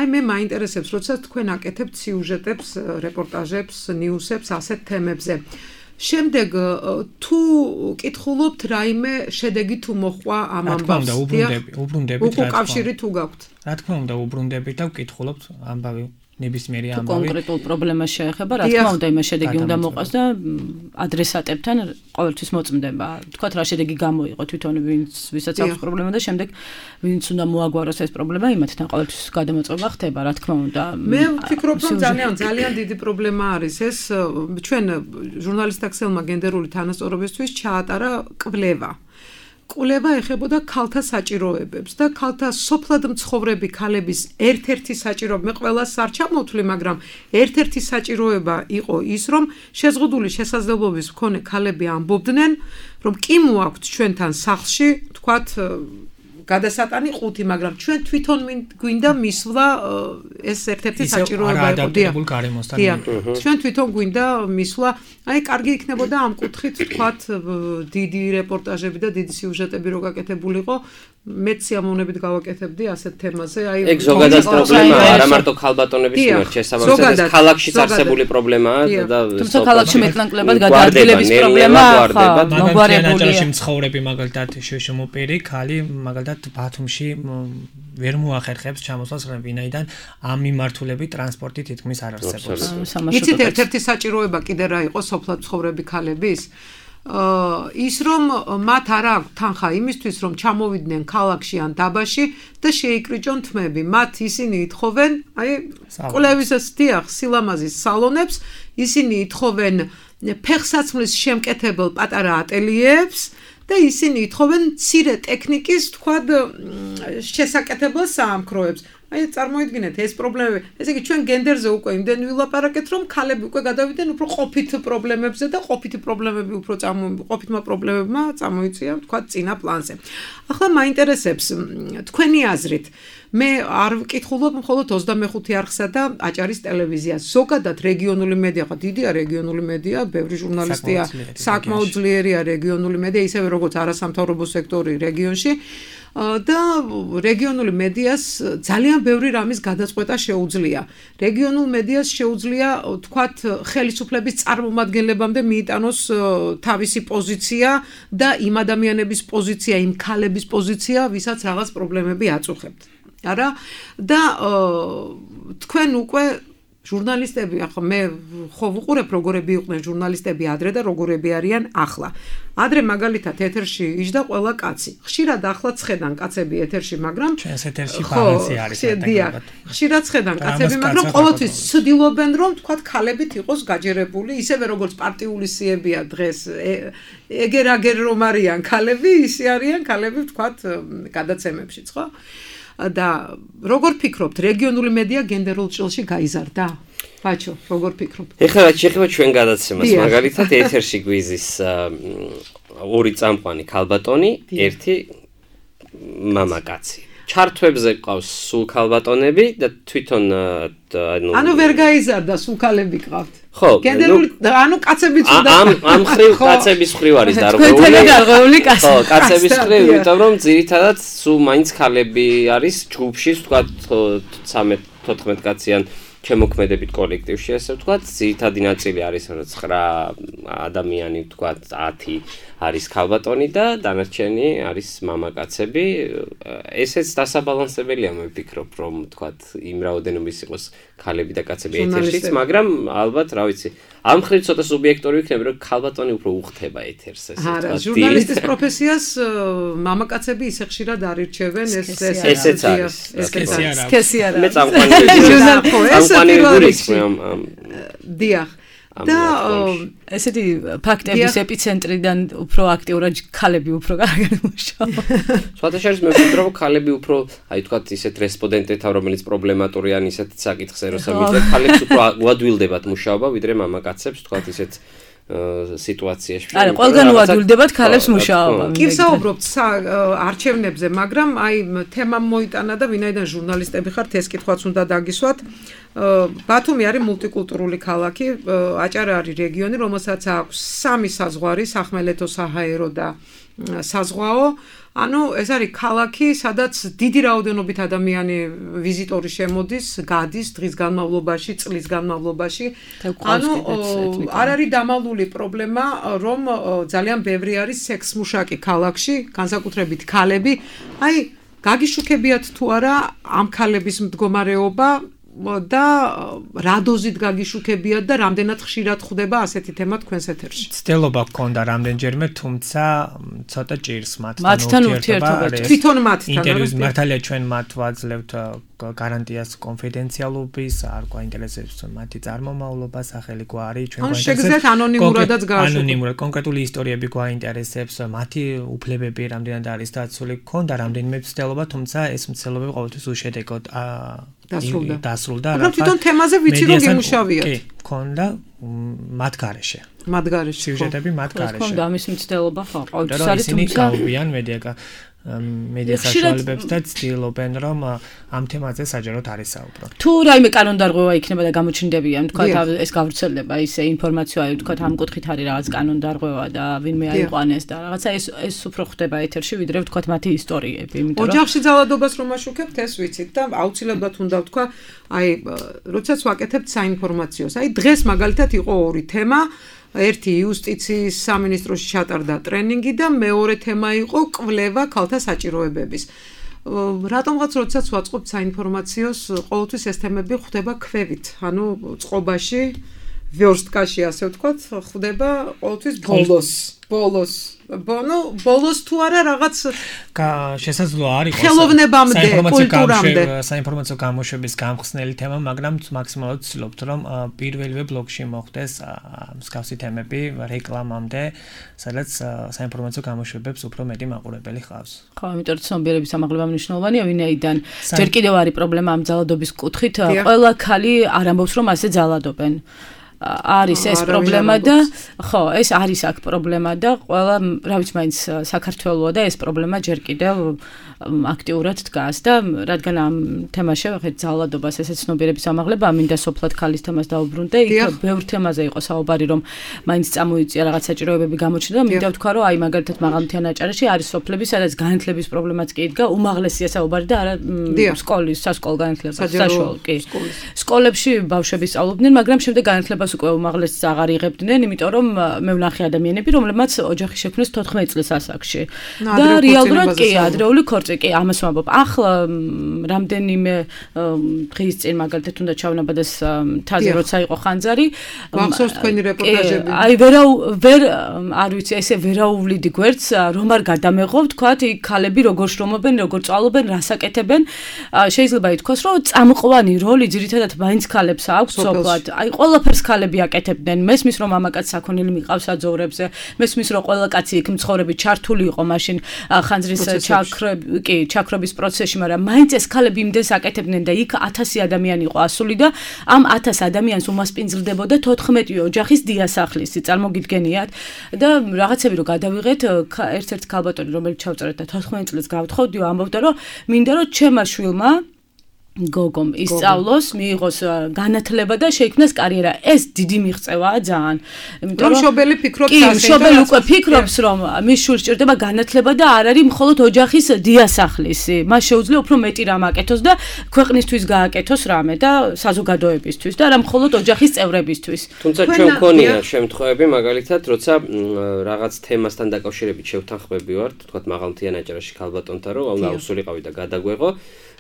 აი მე მაინტერესებს, როდესაც თქვენ აკეთებთ სიუჟეტებს, რეპორტაჟებს, ნიუსებს ასეთ თემებზე. შემდეგ თუ კითხულობთ რაიმე შედეგი თუ მოხვა ამ ამბავს, უბრუნდებით, უკავშირი თუ გაქვთ. რა თქმა უნდა, უბრუნდებით და ვკითხულობთ ამბავი ნებისმიერი ამბავი. კონკრეტულ პრობლემას შეეხება, რა თქმა უნდა, იმას შედეგი უნდა მოყვას და ადრესატებთან ყოველთვის მოწმდება. თქვათ რა შედეგი გამოიღო თვითონ ვისაც აქვს პრობლემა და შემდეგ ვინც უნდა მოაგვაროს ეს პრობლემა, იმათთან ყოველთვის გადამოწმება ხდება, რა თქმა უნდა. მე ვფიქრობ, რომ ძალიან დიდი პრობლემა არის ეს. ჩვენ ჟურნალისტ აქსელმა გენდერული თანასწორობისთვის ჩაატარა კვლევა. კვლევა ეხებოდა ქალთა საჭიროებებს და ქალთა სოფლად მცხოვრები ქალების ერთ-ერთი საჭიროება, მე ყველას არ ჩამოვთვლი, მაგრამ ერთ-ერთი საჭიროება იყო ის, რომ შეზღუდული შესაძლებლობის მქონე ქალები ამბობდნენ, რომ კი მოაქვთ ჩვენთან სახლში, თქვათ გადასატანი 5, მაგრამ ჩვენ თვითონ გვინდა მისვლა ეს ერთ-ერთი საჭიროება იყო. ჩვენ თვითონ გვინდა მისვლა, აი კარგი იქნებოდა ამ კუთხით თქვათ დიდი რეპორტაჟები და დიდი სიუჟეტები რო გაკეთებულიყო, მეც სიამოვნებით გავაკეთებდი ასეთ თემაზე. აი ეგ ზოგადად პრობლემაა, არა მარტო ქალბატონების მიმართ, შესაბამისად ეს ქალაქშიც არსებული პრობლემაა და თუმცა ქალაქში მეტნაკლებად გადაადგილების პრობლემა მოგვარებულია. მცხოვრები მაგალითად შემოპირი ქალი მაგალითად ბათუმში ვერ მოახერხებს ჩამოსვლას, ვინაიდან ამ მიმართულებით ტრანსპორტი თითქმის არ არსებობს. იცით ერთ-ერთი საჭიროება კიდე რა იყო სოფლად მცხოვრები ქალების? ის რომ მათ არ აქვს თანხა იმისთვის რომ ჩამოვიდნენ ქალაქში ან დაბაში და შეიკრიჭონ თმები. მათ ისინი ითხოვენ, აი კვლევის სილამაზის სალონებს, ისინი ითხოვენ ფეხსაცმლის შემკეთებელ პატარა ატელიეებს და ისინი ითხოვენ მცირე ტექნიკის, თქვათ, შესაკეთებელ საამქროებს. აი წარმოიდგინეთ ეს პრობლემები. ესე იგი ჩვენ გენდერზე უკვე იმდენ ვილაპარაკეთ, რომ ქალები უკვე გადავიდნენ უფრო ყოფით პრობლემებზე და ყოფითი პრობლემები უფრო ყოფითმა პრობლემებმა წამოიწია, თქვათ, წინა პლანზე. ახლა მაინტერესებს თქვენი აზრით. მე არ ვკითხულობ მხოლოდ 25 არხსა და აჭარის ტელევიზიას. ზოგადად რეგიონული მედია, ხო დიდია რეგიონული მედია, ბევრი ჟურნალისტია, საკმაოდ ძლიერია რეგიონული მედია, ისევე როგორც არასამთავრობო სექტორი რეგიონში. და რეგიონული მედიას ძალიან ბევრი რამის გადაწყვეტა შეუძლია. რეგიონულ მედიას შეუძლია, თქვათ, ხელისუფლების წარმომადგენლებამდე მიიტანოს თავისი პოზიცია და იმ ადამიანების პოზიცია, იმ ქალების პოზიცია, ვისაც რაღაც პრობლემები აწუხებთ. არა? და თქვენ უკვე ჟურნალისტები, ახლა მე ხო ვუყურებ როგორები იყვნენ ჟურნალისტები ადრე და როგორები არიან ახლა. ადრე მაგალითად ეთერში იჯდა ყველა კაცი. ხშირად ახლა ცხედან კაცები ეთერში, მაგრამ ჩვენს ეთერში ბალანსი არის. ხშირად ცხედან კაცები, მაგრამ ყოველთვის ცდილობენ რომ თქვათ ქალებით იყოს გაჯერებული, ისევე როგორც პარტიული სიებია დღეს. ეგერ რომ არიან ქალები, ისე არიან ქალები თქვათ გადაცემებშიც, ხო? და როგორ ფიქრობთ, რეგიონული მედია გენდერულ ჭრილში გაიზარდა? ბაჩო, როგორ ფიქრობთ? ეხლა რაც შეეხება ჩვენ გადაცემას, მაგალითად ეთერში გვიზის ორი წამყვანი ქალბატონი, ერთი მამაკაცი. ჩართვებზე ყავს სულ ქალბატონები და თვითონ ანუ ვერ გაიზარდა, სულ ქალები ყავთ. ხო, გენდერული ანუ კაცებიც უნდა ამ ხრივ კაცების ხრივ არის დარღვეული კაცი. ხო, კაცების ხრივ, იმიტომ რომ ძირითადად სულ მაინც ქალები არის ჯგუფში, თქვა 13-14 კაციან შემოქმედებით კოლექტივში, ასე ვთქვათ, ძირითადი ნაწილი არის 9 ადამიანი, ვთქვათ, 10 არის ქალბატონი და დანარჩენი არის მამაკაცები. ესეც დასაბალანსებელია, მე ვფიქრობ, რომ ვთქვათ, იმ რაოდენობის იყოს ქალები და კაცები ეთერშიც, მაგრამ ალბათ, რა ვიცი, ამ ხრივ ცოტა სუბიექტური ვიქნები, რომ ქალბატონი უფრო უხდება ეთერს, ესე ვთქვათ. არა, ჟურნალისტის პროფესიას მამაკაცები ისე ხშირად არ ირჩევენ, ესეც არის. სქესი არა. მე წამყვანი გულის დიახ. და ესეთი ფაქტების ეპიცენტრიდან უფრო აქტიურად ქალები უფრო კარგად მუშაობენ. სხვათა შორის მე ვფიქრობ, რომ ქალები უფრო, აი თქვათ, ისეთ რესპონდენტებთან, რომელიც პრობლემატური ან ისეთ საკითხზე როსამით, ქალებს უფრო უადვილდებათ მუშაობა, ვიდრე მამაკაცებს, თქვათ, ისეთ სიტუაციაში. არა, ყველგან უადვილდებათ ქალებს მუშაობა. კი ვსაუბრობთ არჩევნებზე, მაგრამ აი თემამ მოიტანა და ვინაიდან ჟურნალისტები ხართ, ეს კითხვაც უნდა დაგისვათ. ბათუმი არის მულტიკულტურული ქალაქი, აჭარა არის რეგიონი, რომელსაც აქვს 3 საზღვარი, სახმელეთო, საჰაერო და საზღვაო. ანუ ეს არის ქალაქი, სადაც დიდი რაოდენობით ადამიანი ვიზიტორი შემოდის, გადის დღის განმავლობაში, წლის განმავლობაში. ანუ არ არის დამალული პრობლემა, რომ ძალიან ბევრი არის სექსმუშაკი ქალაქში, განსაკუთრებით ქალები. აი, გაგიშუქებიათ თუ არა ამ ქალების მდგომარეობა და რა დოზით გაგიშუქებიათ და რამდენად ხშირად ხვდება ასეთი თემა თქვენს ეთერში? ცდილობა გქონდა რამდენჯერმე, თუმცა ცოტა ჭირს მათთან ურთიერთობა. თვითონ მათთან. ინტერვიუს მართალია ჩვენ მათ ვაძლევთ გარანტიას კონფიდენციალობის, არ გვაინტერესებს მათი წარმომავლობა, სახელი გვარი, ჩვენ გვაინტერესებს. შეგიძლიათ ანონიმურადაც გააშუქოთ. ანონიმურად კონკრეტული ისტორიები გვაინტერესებს, მათი უფლებები რამდენად არის დაცული, ქონდა რამდენიმე მცდელობა, თუმცა ეს მცდელობები ყოველთვის უშედეგოდ დასრულდა. მაგრამ თვითონ თემაზე ვიცი რომ გიმუშავიათ. კი, ქონდა მათ გარეშე. მათ გარეშე. სიუჟეტები მათ გარეშე. ქონდა ამის მცდელობა ხო, ყოველთვის არის ისინი გაუვიან მედია საშუალებებს და ცდილობენ რომ ამ თემაზე საჯაროდ არის საუბრო. თუ რაიმე კანონდარღვევა იქნება და გამოჩნდებიან, თქვა ეს გავრცელდება ისე ინფორმაცია, თქვა ამ კუთხით არის რაღაც კანონდარღვევა და ვინმე აიყვანეს და რაღაცა ეს უფრო ხდება ეთერში, ვიდრე თქვა მათი ისტორიები, იმიტომ რომ ოჯახში ძალადობას რომ აშუქებთ, ეს ვიცით და აუცილებლად უნდა ვთქვა, აი, როდესაც ვაკეთებთ საინფორმაციოს. აი, დღეს მაგალითად იყო ორი თემა. ერთი იუსტიციის სამინისტროში ჩატარდა ტრენინგი და მეორე თემა იყო კვლევა ქალთა საჭიროებების. რატომღაც როდესაც ვაწყობთ საინფორმაციოს, ყოველთვის ეს თემები ხდება ქვევით, ანუ წყობაში, ვერსტკაში ასე ვთქვათ, ხდება ყოველთვის ბოლოს თუ არა რაღაც შესაძლოა არის ხელოვნებამდე, კულტურამდე საინფორმაციო გამოშვების გამხსნელი თემა, მაგრამ მაქსიმალურად ვცდილობთ რომ პირველივე ბლოკში მოხდეს მსგავსი თემები რეკლამამდე, სადაც საინფორმაციო გამოშვებებს უფრო მეტი მაყურებელი ჰყავს. ხო, იმიტომ რომ ცნობიერების ამაღლება მნიშვნელოვანია, ვინაიდან ჯერ კიდევ არის პრობლემა ამ ძალადობის კუთხით, ყველა ქალი არ ამბობს რომ ასე ძალადობენ. არის ეს პრობლემა და ხო, ეს არის აქ პრობლემა და ყველა, რა ვიცი, მაინც საქართველოა და ეს პრობლემა ჯერ კიდევ აქტიურად დგას და რადგან ამ თემაში ვახეთ ძალადობას, ესე ცნობიერების ამაღლება, მინდა სოფლად ქალის თემას დაუბრუნდე, იქ ბევრ თემაზე იყო საუბარი, რომ მაინც წამოიწია რაღაც საჭიროებები გამოჩნდა და მინდა ვთქვა, რომ აი მაგალითად მაღალმთიან აჭარაში არის სოფლები, სადაც განათლების პრობლემაც კი იდგა, უმაღლესია საუბარი და არა სკოლის, სასკოლო განათლება, საშუალო, კი. სკოლებში ბავშვები სწავლობდნენ, მაგრამ შემდეგ განათლებას უკვე უმაღლესს აღარ იღებდნენ, იმიტომ რომ მე ვნახე ადამიანები, რომლებმაც ოჯახი შექმნეს 14 წლის ასაკში. და რეალურად კი ადრეული კი ამას ვამბობ. ახლა რამდენიმე დღის წინ მაგალითად უნდა ჩავნაბადეს თაზე როცა იყო ხანძარი. მახსოვს თქვენი რეპორტაჟები. აი ვერ არ ვიცი, ესე ვერაუვლიდი გვერდს, რომ არ გადამეღო, თქვათ, იქ ქალები როგორ შრომობენ, როგორ წვალობენ, რას აკეთებენ. შეიძლება ითქვას, რომ წამყვანი როლი ძირითადად მაინც ქალებს აქვს სოფლად. აი ყველაფერს ქალები აკეთებდნენ. მესმის რომ მამაკაც საქონელი მიყავს საძოვრებზე, მესმის რომ ყველა კაცი იქ მცხოვრები ჩართული იყო მაშინ ხანძრის ჩაქრობის პროცესში, მაგრამ მაინც ეს ქალები იმდენს აკეთებდნენ და იქ 1000 ადამიანი იყო ასული და ამ 1000 ადამიანს უმასპინძლდებოდა 14 ოჯახის დიასახლისი, წარმოგიდგენიათ და რაღაცები რომ გადავიღეთ, ერთ-ერთ ქალბატონი რომელიც ჩავწერეთ და 14 წელს გავთხოვდიო, ამბობდა რომ მინდა რომ ჩემმა შვილმა გოგომ ისწავლოს, მიიღოს განათლება და შეიქმნას კარიერა. ეს დიდი მიღწევაა ძალიან. იმიტომ რომ შობელი ფიქრობს ასე. შობელი უკვე ფიქრობს, რომ მის შვილს ჭირდება განათლება და არ არის მხოლოდ ოჯახის დიასახლისი. მას შეუძლია უფრო მეტი რამ აკეთოს და ქვეყნისთვის გააკეთოს რამე და საზოგადოებისთვის და არა მხოლოდ ოჯახის წევრებისთვის. თუმცა ჩვენ გქონია შემთხვევები, მაგალითად, როცა რაღაც თემასთან დაკავშირებით შევთანხმები ვართ, თქვათ მაღალმთიან აჭარაში ქალბატონთან, რომ აუსულიყავი და გადაგვეღო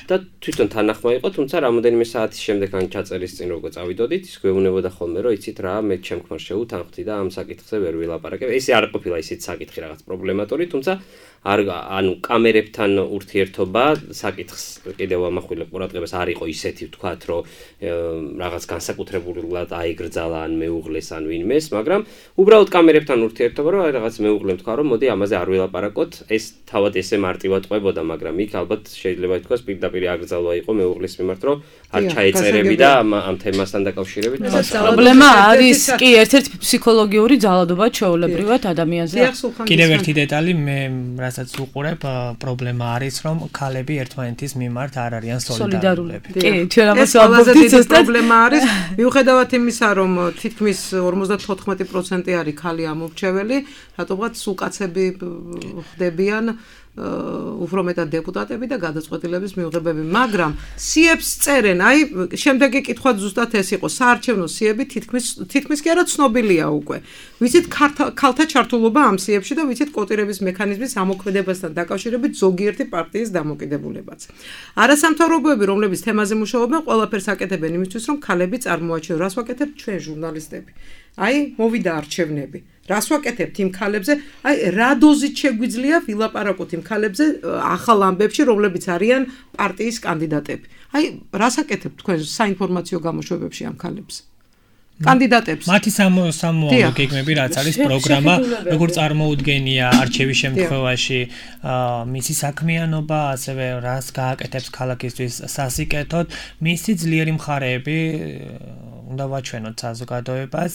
და თვითონ თანახმა იყო, თუმცა რამოდენიმე საათის შემდეგ ან ჩაწერის წინ როგორ წავიდოდით, ის გვეუბნებოდა ხოლმე, რომ იცით რა, მე ჩემქმარ შევუთანხმდი და ამ საკითხზე ვერ ვილაპარაკებ. ესე არ ყოფილა ისეთ საკითხი რაღაც პრობლემატური, თუმცა ანუ კამერებთან ურთიერთობა საკითხს კიდევ ამახვილებ ყურადღებას არ იყო ისეთი, ვთქვათ, რომ რაღაც განსაკუთრებულად აიგრძალა ან მეუღლეს ან ვინმეს, მაგრამ უბრალოდ კამერებთან ურთიერთობა, რომ რაღაც მეუღლემ თქვა, რომ მოდი ამაზე არ ვილაპარაკოთ, ეს თავად ესე მარტივად ყვებოდა, მაგრამ იქ ალბათ შეიძლება ითქვას პირდაპირ აკრძალვა იყო მეუღლის მიმართ, რომ არ ჩაეწერები და ამ თემასთან დაკავშირებით. პრობლემა არის კი ერთ-ერთი ფსიქოლოგიური ძალადობა ჩვეულებრივად ადამიანზე. კიდევ ერთი დეტალი მე რასაც უყურებ, პრობლემა არის, რომ ქალები ერთმანეთის მიმართ არ არიან სოლიდარული. კი, ჩვენ ამას ვამბობთ, ეს პრობლემა არის. მიუხედავად იმისა, რომ თითქმის 54% არის ქალი ამორჩეველი, რატომღაც სულ კაცები ხდებიან უფრო მეტად დეპუტატები და გადაწყვეტილების მიღებები, მაგრამ სიებს წერენ, აი, შემდეგი კითხვა ზუსტად ეს იყო, საარჩევნო სიები თითქმის კი არა ცნობილია უკვე. ვიცით ქალთა ჩართულობა ამ სიებში და ვიცით კოტირების მექანიზმის ამოქმედებასთან დაკავშირებით ზოგიერთი პარტიის დამოკიდებულებაც. არასამთავრობოები, რომლებიც თემაზე მუშაობენ, ყველაფერს აკეთებენ იმისთვის, რომ ქალები წარმოაჩინონ, რას ვაკეთებთ ჩვენ ჟურნალისტები. აი მოვიდა არჩევნები. რას ვაკეთებთ იმ ქალებზე? აი რა დოზით შეგვიძლია ვილაპარაკოთ იმ ქალებზე ახალ ამბებში, რომლებიც არიან პარტიის კანდიდატები. აი რას აკეთებთ თქვენ საინფორმაციო გამოშვებებში ამ ქალებზე? კანდიდატებს. მათი სამოვალო გეგმები რაც არის პროგრამა, როგორ წარმოუდგენია არჩევის შემთხვევაში მისი საქმიანობა, ასევე რას გააკეთებს ქალაქისთვის სასიკეთოდ, მისი ძლიერი მხარეები უნდა ვაჩვენოთ საზოგადოებას.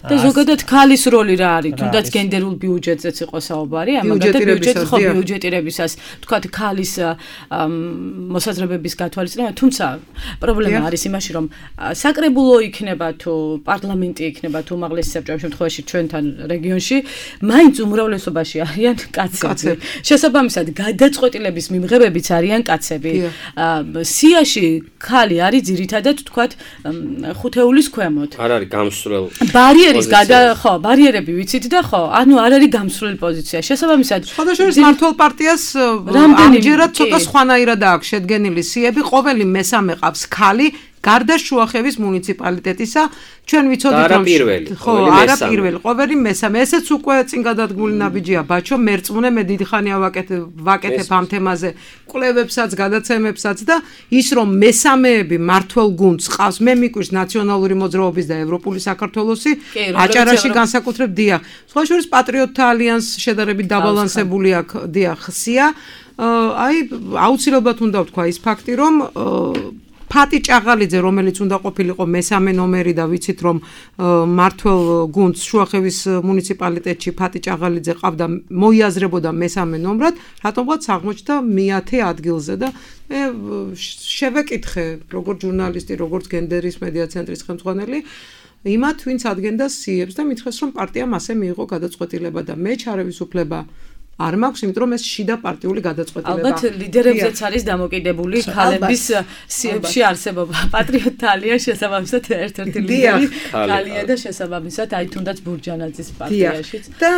და ზოგადად ქალის როლი რა არის? თუნდაც გენდერულ ბიუჯეტზეც იყო საუბარი, ამაგათ ბიუჯეტის ხო ბიუჯეტირებისას, თქვათ ქალის მოსაზრებების გათვალისწინება, თუმცა პრობლემა არის იმაში, რომ საკრებულო იქნება თუ პარლამენტი იქნება თუ უმაღლესი საბჭო შემთხვევაში ჩვენთან რეგიონში, მაინც უმრავლესობაში არიან კაცები. შესაბამისად, გადაწყვეტილების მიმღებებიც არიან კაცები. სიაში ქალი არის ძირითადად თქვათ ხუთეულის ქვემოთ. არ არის გამსვლელ. ბარიერის ხო, ბარიერები ვიცით და ხო, ანუ არ არის გამსვლელ პოზიცია. შესაბამისად, სხვადასხვა მართლ პარტიას ამჯერად ცოტა სხვანაირად აქვს შედგენილი სიები, ყოველი მესამე ყავს ქალი. გარდა შუახევის მუნიციპალიტეტისა, ჩვენ ვიცოდით რომ ხო, არა პირველი, ყოველი მესამე. ესეც უკვე წინ გადადგმული ნაბიჯია, ბაჩო, მერწმუნე მე დიდი ხანია ვაკეთებ ამ თემაზე კვლევებსაც, გადაცემებსაც და ის რომ მესამეები მართლ გუნდს ყავს, მე მიკვირს ნაციონალური მოძრაობის და ევროპული საქართველოსი, აჭარაში განსაკუთრებით დიახ. სხვა შორის პატრიოტთა ალიანსი შედარებით დაბალანსებული აქვს, დიახ, ხსია. აი, აუცილებლად უნდა ვთქვა ის ფაქტი, რომ ფატი ჭაღალიძე, რომელიც უნდა ყოფილიყო მესამე ნომერი და ვიცით რომ მართლ გუნდს შუახევის მუნიციპალიტეტში ფატი ჭაღალიძე ყავდა, მოიაზრებოდა მესამე ნომრად, რატომღაც აღმოჩნდა მე-10 ადგილზე და მე შევეკითხე როგორც ჟურნალისტი, როგორც გენდერის მედია ცენტრის ხელმძღვანელი, იმათ ვინც ადგენდა სიებს და მითხრეს რომ პარტიამ ასე მიიღო გადაწყვეტილება და მე ჩარევის უფლება არ მაქვს, იმიტომ რომ ეს შიდა პარტიული გადაწყვეტილება. ალბათ ლიდერებზეც არის დამოკიდებული ქალების სიებში არსებობა. პატრიოტთა ალიანსი შესაბამისად ერთ-ერთი ლიდერი ქალია და შესაბამისად აი თუნდაც ბურჯანაძის პარტიაშიც. და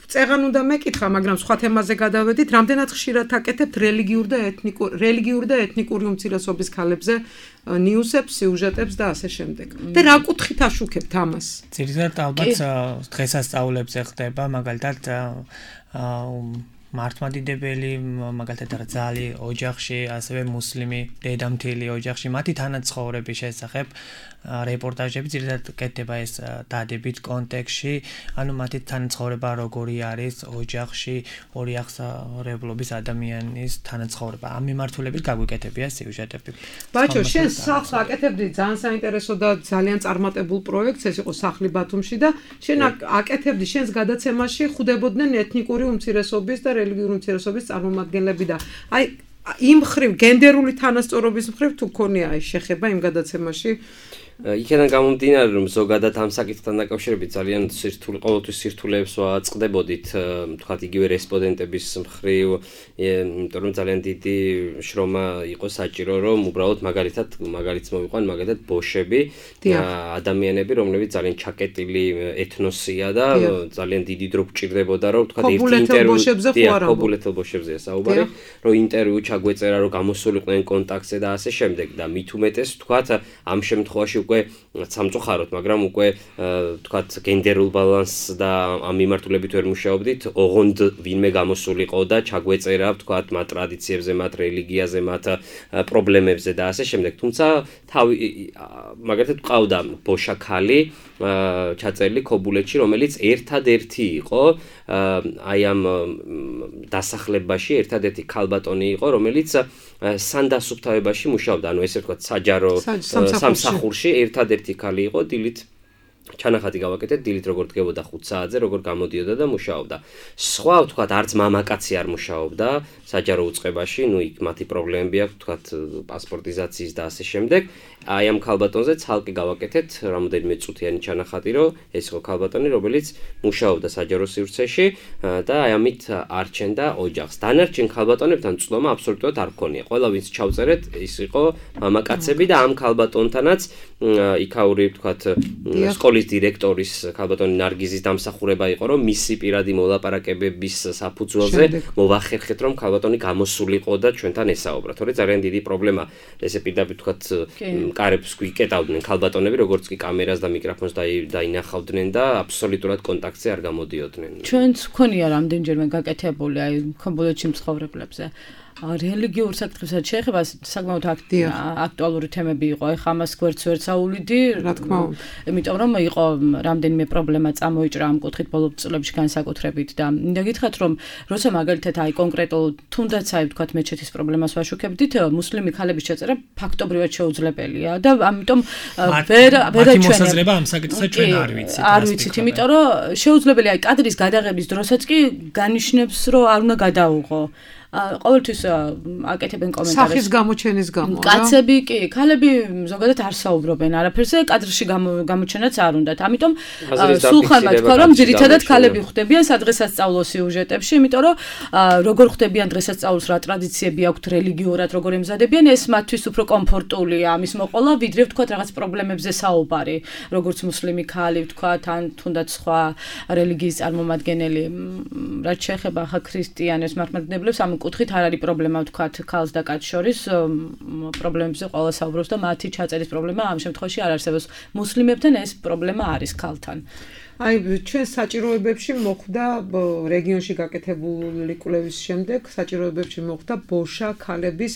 წეღან უნდა მეკითხა, მაგრამ სხვა თემაზე გადავედით, რამდენად ხშირად აკეთებთ რელიგიურ და ეთნიკური უმცირესობის ქალებზე ნიუსებს, სიუჟეტებს და ასე შემდეგ. და რა კუთხით აშუქებთ ამას? ძირითადად ალბათ დღესასწაულებზე ხდება, მაგალითად მართლმადიდებელი, მაგალითად რძალი ოჯახში, ასევე მუსლიმი დედამთილი ოჯახში, მათი თანაცხოვრების შესახებ რეპორტაჟები ძირითადად კეთდება ეს დადებით კონტექსტში, ანუ მათი თანაცხოვრება როგორი არის ოჯახში, ორი აღსარებლობის ადამიანის თანაცხოვრება. ამ მიმართულებით გაგვიკეთებია სიუჟეტები. ბაჩო, შენ სახლს აკეთებდი ძალიან საინტერესო და ძალიან წარმატებულ პროექტს, ეს იყო სახლი ბათუმში და შენ აკეთებდი შენს გადაცემაში ხვდებოდნენ ეთნიკური უმცირესობის და რელიგიური უმცირესობის წარმომადგენლები და აი იმ მხრივ გენდერული თანასწორობის მხრივ თუ ქონია აი შეხება იმ გადაცემაში? იქიდან გამომდინარე რომ ზოგადად ამ საკითხთან დაკავშირებით ძალიან ყოველთვის სირთულეებს ვაწყდებოდით, თქვათ იგივე რესპონდენტების მხრივ, იმიტომ რომ ძალიან დიდი შრომა იყო საჭირო, რომ უბრალოდ მაგალითს მოვიყვან, მაგალითად ბოშები, ადამიანები, რომლებიც ძალიან ჩაკეტილი ეთნოსია და ძალიან დიდი დრო გჭირდებოდა, რომ თქვათ ერთი ინტერვიუ ქობულეთელ ბოშებზეა საუბარი, რომ ინტერვიუ ჩაგვეწერა, რომ გამოსულიყვნენ კონტაქტზე და ასე შემდეგ და მით უმეტეს თქვათ ამ შემთხვევაში უკვე სამწუხაროდ, მაგრამ უკვე თქვათ გენდერულ ბალანსს და ამ მიმართულებით ვერ მუშაობდით, ოღონდ ვინმე გამოსულიყო და ჩაგვეწერა თქვათ მათ ტრადიციებზე, მათ რელიგიაზე, მათ პრობლემებზე და ასე შემდეგ. თუმცა მაგალითად ყავდა ბოშა ქალი ჩაწერილი ქობულეთში, რომელიც ერთადერთი იყო აი ამ დასახლებაში, ერთადერთი ქალბატონი იყო, რომელიც სანდასუფთავებაში მუშაობდა, ანუ ესე ვთქვათ საჯარო სამსახურში ერთადერთი ქალი იყო, დილით ჩანახატი გავაკეთეთ, დილით როგორ დგებოდა 5 საათზე, როგორ გამოდიოდა და მუშაობდა. სხვა ვთქვათ, არც მამაკაცი არ მუშაობდა საჯარო უწყებაში, ნუ იქ მათი პრობლემები აქვს, ვთქვათ, პასპორტიზაციის და ასე შემდეგ. აი ამ ქალბატონზე ცალკე გავაკეთეთ რამოდენიმე წუთიანი ჩანახატი, რომ ეს იყო ქალბატონი, რომელიც მუშაობდა საჯარო სივრცეში და აი ამით არჩენდა ოჯახს. დანარჩენ ქალბატონებთან წვდომა აბსოლუტურად არ გქონია. ყველა ვინც ჩავწერეთ, ის იყო მამაკაცები და ამ ქალბატონთანაც იქაური, ვთქვათ, სკოლის სკოლის დირექტორის ქალბატონი ნარგიზის დამსახურება იყო, რომ მისი პირადი მოლაპარაკებების საფუძველზე მოვახერხეთ, რომ ქალბატონი გამოსულიყო და ჩვენთან ესაუბრა. თორე ძალიან დიდი პრობლემა ესე პირდაპირ თქვათ კარებს გვიკეტავდნენ ქალბატონები, როგორც კი კამერას და მიკროფონს დაინახავდნენ და აბსოლუტურად კონტაქტზე არ გამოდიოდნენ. ჩვენც ქონია რამდენჯერმე გაკეთებული აი ბოლოებში მცხოვრებლებზე. რელიგიურ საკითხებსაც შეეხება საკმაოდ აქტუალური თემები იყო. ეხლა ამას გვერდს ვერ წაუვლიდი, რა თქმა უნდა. იმიტომ რომ იყო რამდენიმე პრობლემა წამოიჭრა ამ კუთხით ბოლო წლებში განსაკუთრებით და მინდა გითხრათ რომ როცა მაგალითად აი კონკრეტულ თუნდაც აი ვთქვათ მეჩეთის პრობლემას ვაშუქებდით, მუსლიმი ქალების ჩაწერა ფაქტობრივად შეუძლებელია და ამიტომ მათი მოსაზრება ამ საკითხზე ჩვენ არ ვიცით, იმიტომ რომ შეუძლებელია აი კადრის გადაღების დროსაც კი განიშნებს რომ არ უნდა გადაუღო. ყოველთვის აკეთებენ კომენტარებს. სახის გამოჩენის გამო, რა? კაცები კი, ქალები ზოგადად არ საუბრობენ არაფერზე, კადრში გამოჩენაც არ უნდათ. ამიტომ სულხანმა თქვა, რომ ძირითადად ქალები ხვდებიან სადღესასწაულო სიუჟეტებში, იმიტომ რომ როგორ ხვდებიან დღესასწაულს, რა ტრადიციები აქვთ რელიგიურად, როგორ ემზადებიან, ეს მათთვის უფრო კომფორტულია ამის მოყოლა, ვიდრე ვთქვათ რაღაც პრობლემებზე საუბარი, როგორც მუსლიმი ქალი ვთქვათ, ან თუნდაც სხვა რელიგიის წარმომადგენელი. რაც შეეხება ხა ქრისტიანებს, მართლმადიდებლებს, ამ კუთხით არ არის პრობლემა ვთქვათ ქალს და კაცს შორის პრობლემებზე ყველა საუბრობს და მათი ჩაწერის პრობლემა ამ შემთხვევაში არ არსებობს. მუსლიმებთან ეს პრობლემა არის ქალთან. აი ჩვენ საჭიროებებში მოხვდა რეგიონში გაკეთებული კვლევის შემდეგ საჭიროებებში მოხვდა ბოშა ქალების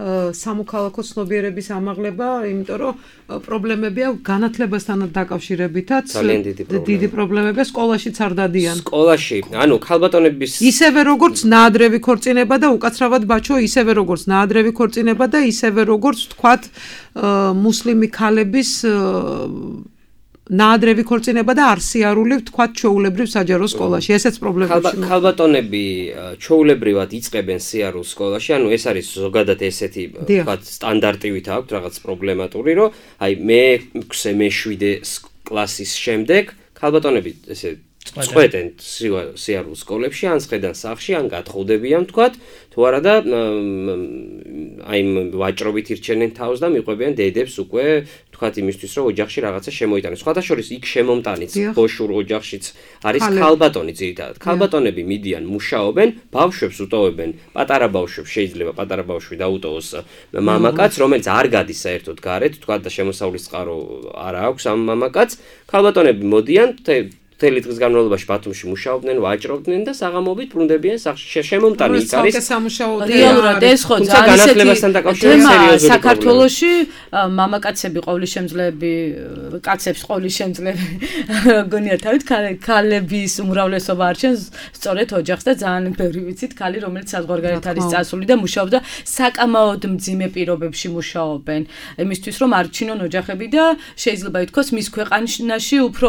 სამოქალაქო ცნობიერების ამაღლება, იმიტომ რომ პრობლემები აქვს განათლებასთან დაკავშირებითაც დიდი პრობლემები სკოლაშიც არ დადიან. სკოლაში, ანუ ქალბატონების ისევე როგორც ნაადრევი ქორწინება და უკაცრავად ბაჩო, ისევე როგორც ნაადრევი ქორწინება და ისევე როგორც თქვათ მუსლიმი ქალების ნაადრევი ქორწინება და არსიარული ვთქვათ ჩვეულებრივ საჯარო სკოლაში. ესეც პრობლემებში. ქალბატონები ჩვეულებრივად იწყებენ სიარულს სკოლაში, ანუ ეს არის ზოგადად ესეთი ვთქვათ სტანდარტივით აქვს რაღაც პრობლემატური, რომ აი მე-6 მე-7 კლასის შემდეგ ქალბატონები ესე წყვეტენ სიარულს სკოლებში, ან სხედან სახლში, ან გათხოვდებიან ვთქვათ, თუ არა და აი ვაჭრობით ირჩენენ თავს და მიყვებიან დედებს უკვე ვთქვათ იმისთვის, რომ ოჯახში რაღაცა შემოიტანეს. სხვათა შორის იქ შემომტანიც ბოშურ ოჯახშიც არის ქალბატონი ძირითადად. ქალბატონები მიდიან, მუშაობენ, ბავშვებს უტოვებენ, პატარა ბავშვებს შეიძლება პატარა ბავშვი დაუტოვოს მამაკაც, რომელიც არ გადის საერთოდ გარეთ, ვთქვათ და შემოსავლის წყარო არ აქვს ამ მამაკაც. ქალბატონები მოდიან მთელი დღის განმავლობაში ბათუმში მუშაობდნენ, ვაჭრობდნენ და საღამოობით ბრუნდებიან სახლში. შემომტანი იქ არის. რეალურად ეს ხო ძალიან ისეთი საქართველოში მამაკაცები ყოვლისშემძლეები, კაცებს ყოვლისშემძლეები გონია თავით ქალების უმრავლესობა არჩევს სწორედ ოჯახს და ძალიან ბევრი ვიცით ქალი, რომელიც საზღვარგარეთ არის წასული და მუშაობდა საკამაოდ მძიმე პირობებში მუშაობენ. იმისთვის რომ არჩინონ ოჯახები და შეიძლება ითქვას მის ქვეყანაში უფრო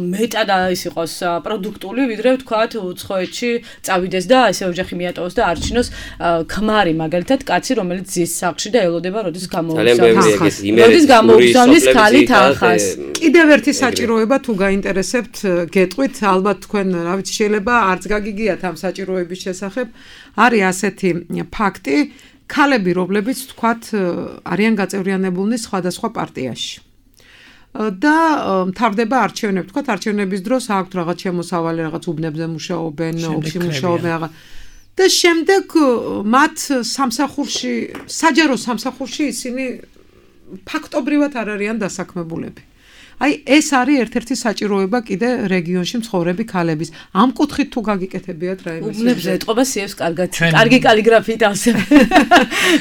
მეტად ის იყოს პროდუქტული, ვიდრე ვთქვათ უცხოეთში წავიდეს და ესე ოჯახი მიატოვოს და არჩინოს ქმარი, მაგალითად კაცი, რომელიც ზის სახლში და ელოდება, როდის გამოუგზავნის ქალი თანხას. კიდევ ერთი საჭიროება თუ გაინტერესებთ, გეტყვით, ალბათ თქვენ რა ვიცი შეიძლება არც გაგიგიათ ამ საჭიროების შესახებ, არის ასეთი ფაქტი, ქალები, რომლებიც ვთქვათ არიან გაწევრიანებულნი სხვადასხვა პარტიაში. და მთავრდება არჩევნები, თქვათ არჩევნების დროს აქვთ რაღაც შემოსავალი, რაღაც უბნებზე მუშაობენ, ოფისში მუშაობენ რაღაც და შემდეგ მათ სამსახურში, საჯარო სამსახურში ისინი ფაქტობრივად არ არიან დასაქმებულები. აი ეს არის ერთ-ერთი საჭიროება კიდე რეგიონში მცხოვრები ქალების. ამ კუთხით თუ გაგიკეთებიათ რა იმის. უბნებზე ეთყობა სიევს კარგად. კარგი კალიგრაფიით ავსებ.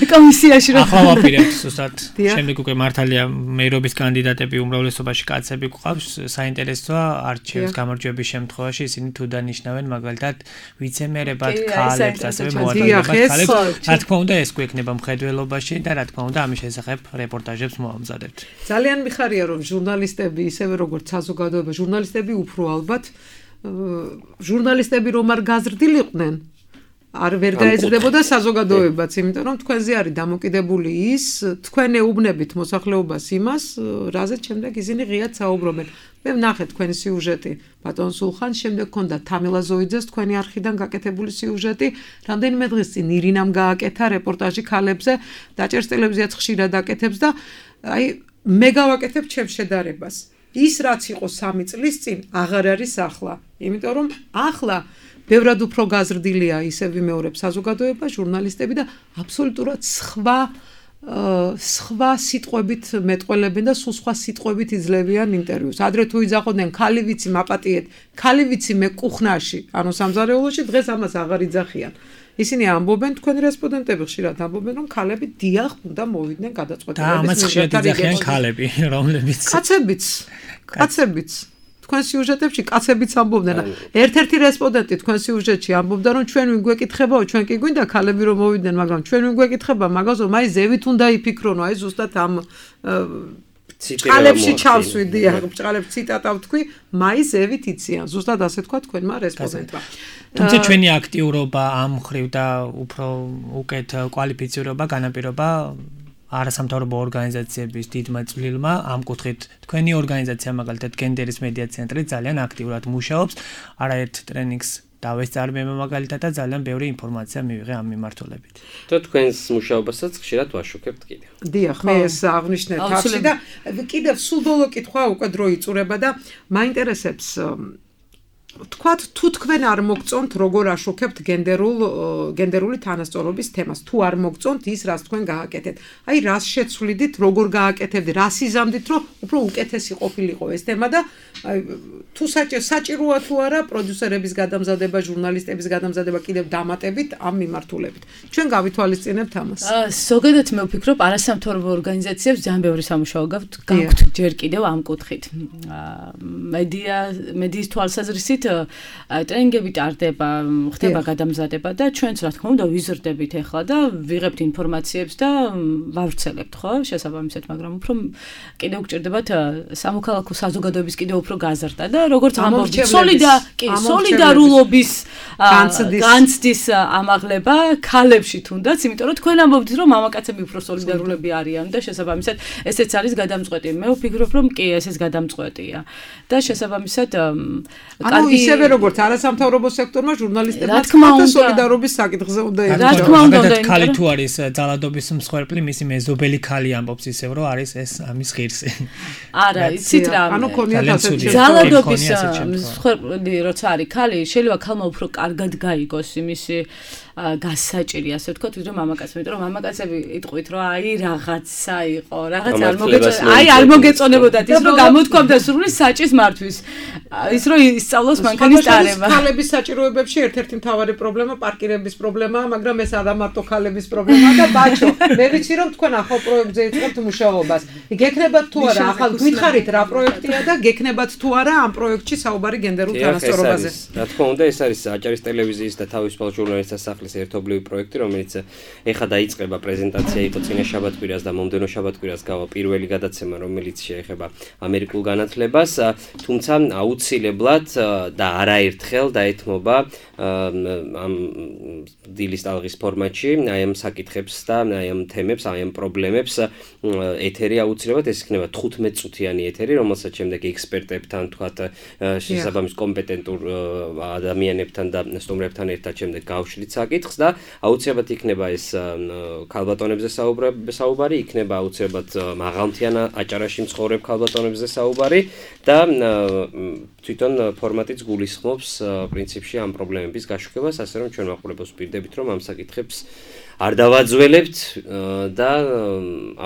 კომისიაში რა. ახლა ვაპირებთ ზუსტად. შემდეგ უკვე მართალია მეირობის კანდიდატები უმრავლესობაში კაცები გვყავს. საინტერესოა არჩევის გამარჯვების შემთხვევაში ისინი თუ დანიშნავენ მაგალითად ვიცემერებად ქალებს, ასევე მოადგილებლად ქალებს. რა თქმა უნდა ეს გვექნება მხედველობაში და რა თქმა უნდა ამის შესახებ რეპორტაჟებს მოამზადებთ. ძალიან მიხარია რომ ჟურნალისტები ისევე როგორც საზოგადოება, ჟურნალისტები უფრო ალბათ ჟურნალისტები რომ არ გაზრდილიყვნენ, არ ვერ გაეზრდებოდა საზოგადოებაც, იმიტომ რომ თქვენზე არის დამოკიდებული ის, თქვენ ეუბნებით მოსახლეობას იმას, რაზეც შემდეგ ისინი ღიად საუბრობენ. მე ვნახე თქვენი სიუჟეტი, ბატონ სულხან, შემდეგ ქონდა თამილა ზოიძეს თქვენი არხიდან გაკეთებული სიუჟეტი, რამდენიმე დღის წინ ირინამ გააკეთა რეპორტაჟი ქალებზე, დაჭერს ტელევიზიაც ხშირად აკეთებს და აი მე გავაკეთებ ჩემს შედარებას. ის რაც იყო 3 წლის წინ აღარ არის ახლა, იმიტომ რომ ახლა ბევრად უფრო გაზრდილია ისე ვიმეორებ საზოგადოება, ჟურნალისტები და აბსოლუტურად სხვა სიტყვებით მეტყველებენ და სულ სხვა სიტყვებით იძლევიან ინტერვიუს. ადრე თუ იძახოდნენ ხალი ვიცი მაპატიეთ, ხალი ვიცი მე კუხნაში, ანუ სამზარეულოში, დღეს ამას აღარ იძახიან. ისინი ამბობენ, თქვენი რესპონდენტები ხშირად ამბობენ, რომ ხალები დიახ უნდა მოვიდნენ გადაწყვეტილების. და ამას ხშირად იძახიან ხალები, რომლებიც კაცებიც თქვენ სიუჟეტებში კაცებიც ამბობდნენ. ერთ-ერთი რესპონდენტი თქვენ სიუჟეტში ამბობდა, რომ ჩვენ ვინ გვეკითხებაო, ჩვენ კი გვინდა ხალები რომ მოვიდნენ, მაგრამ ჩვენ ვინ გვეკითხება, მაგაზო მაი ზევით უნდა იფიქრონო, აი ზუსტად ამ ბრჭყალებში ჩავსვიდი, ბრჭყალებში ციტატა ვთქვი, მაი ზევით იციან. ზუსტად ასე თქვა თქვენმა რესპონდენტმა. თუმცა ჩვენი აქტიურობა ამ ხრივ და უფრო უკეთ კვალიფიცირება, განაპირობა არასამთავრობო ორგანიზაციების დიდმა წვლილმა ამ კუთხით თქვენი ორგანიზაცია მაგალითად გენდერის მედია ცენტრი ძალიან აქტიურად მუშაობს, არაერთ ტრენინგს დავესწარმება მაგალითად და ძალიან ბევრი ინფორმაცია მივიღე ამ მიმართულებით. და თქვენს მუშაობასაც ხშირად ვაშუქებთ კიდევ. დიახ, მე ეს აღნიშნე თავში და კიდევ სულ ბოლო კითხვა უკვე დრო იწურება და მაინტერესებს თქვათ თუ თქვენ არ მოგწონთ როგორ აშუქებთ გენდერული თანასწორობის თემას, თუ არ მოგწონთ ის რაც თქვენ გააკეთეთ. აი რას შეცვლიდით, როგორ გააკეთებდით, რას იზამდით, რომ უფრო უკეთესი ყოფილიყო ეს თემა და თუ საჭიროა თუ არა პროდიუსერების გადამზადება, ჟურნალისტების გადამზადება კიდევ დამატებით ამ მიმართულებით. ჩვენ გავითვალისწინებთ ამას. ზოგადად მე ვფიქრობ, არასამთავრობო ორგანიზაციებს ძალიან ბევრი სამუშაო გაქვთ ჯერ კიდევ ამ კუთხით. მედიის თვალსაზრისით ტრენინგები ტარდება, ხდება გადამზადება და ჩვენც რა თქმა უნდა ვიზრდებით ახლა და ვიღებთ ინფორმაციებს და ვავრცელებთ, ხო? შესაბამისად, მაგრამ უფრო კიდევ გჭირდებათ სამოქალაქო საზოგადოების კიდევ უფრო გაზრდა და როგორც ამბობთ, სოლიდარულობის განცდის ამაღლება ქალებში თუნდაც, იმიტომ რომ თქვენ ამბობთ, რომ მამაკაცები უფრო სოლიდარულები არიან და შესაბამისად ესეც არის გადამწყვეტი. მე ვფიქრობ, რომ კი, ესეც გადამწყვეტია. და შესაბამისად ანუ ისევე როგორც არასამთავრობო სექტორმა ჟურნალისტებმა და სოლიდარობის საკითხზე უნდა ეხება. ხალი თუ არის ძალადობის მსხვერპლი, მისი მეზობელი ხალი ამბობს ისევ, რომ არის ეს ამის ღირსი. არა, იცით რა. ანუ ქონიათ ასეთი ძალადობის მსხვერპლი როცა არის ხალი, შეიძლება ხალმა უფრო კარგად გაიგოს იმისი გასაჭირი, ასე ვთქვათ, ვიდრე მამაკაცები, იმიტომ რომ მამაკაცები იტყვით, რომ აი რაღაცა იყო, რაღაც არ მოგეწონებოდათ ის, რომ გამოთქვამდა სრული საჭის მართვის. ის რომ ისწავლოს მანქანის ტარება. ხალების საჭიროებებში ერთ-ერთი მთავარი პრობლემა პარკირების პრობლემაა, მაგრამ ეს არა მარტო ხალების პრობლემაა და ბაჭო, მე ვიცი რომ თქვენ ახალ პროექტზე იწყებთ მუშაობას. გექნებათ თუ არა, ახალ გითხარით რა პროექტია და გექნებათ თუ არა ამ პროექტში საუბარი გენდერულ თანასწორობაზე. რა თქმა უნდა, ეს არის აჭარის ტელევიზიის და თავისუფალ ჟურნალისტთა სახლის ერთობლივი პროექტი, რომელიც ეხა დაიწყება, პრეზენტაცია იყო წინა შაბათ-კვირას და მომდევნო შაბათ-კვირას გავა პირველი გადაცემა, რომელიც შეეხება ამერიკულ განათლებას, თუმცა აუცილებლად და არაერთხელ დაეთმობა ამ დილის ტალღის ფორმატში აი ამ საკითხებს და აი ამ თემებს, აი ამ პრობლემებს ეთერი აუცილებლად ეს იქნება 15 წუთიანი ეთერი, რომელსაც შემდეგ ექსპერტებთან, თქვათ, შესაბამის კომპეტენტურ ადამიანებთან და სტუმრებთან ერთად შემდეგ გავშლით საკითხს და აუცილებლად იქნება ეს ქალბატონებზე საუბარი, იქნება აუცილებლად მაღალმთიან აჭარაში მცხოვრებ ქალბატონებზე საუბარი და თვითონ ფორმატიც გულისხმობს პრინციპში ამ პრობლემების გაშუქებას, ასე რომ ჩვენ მაყურებელს ვპირდებით, რომ ამ საკითხებს არ დავაძველებთ და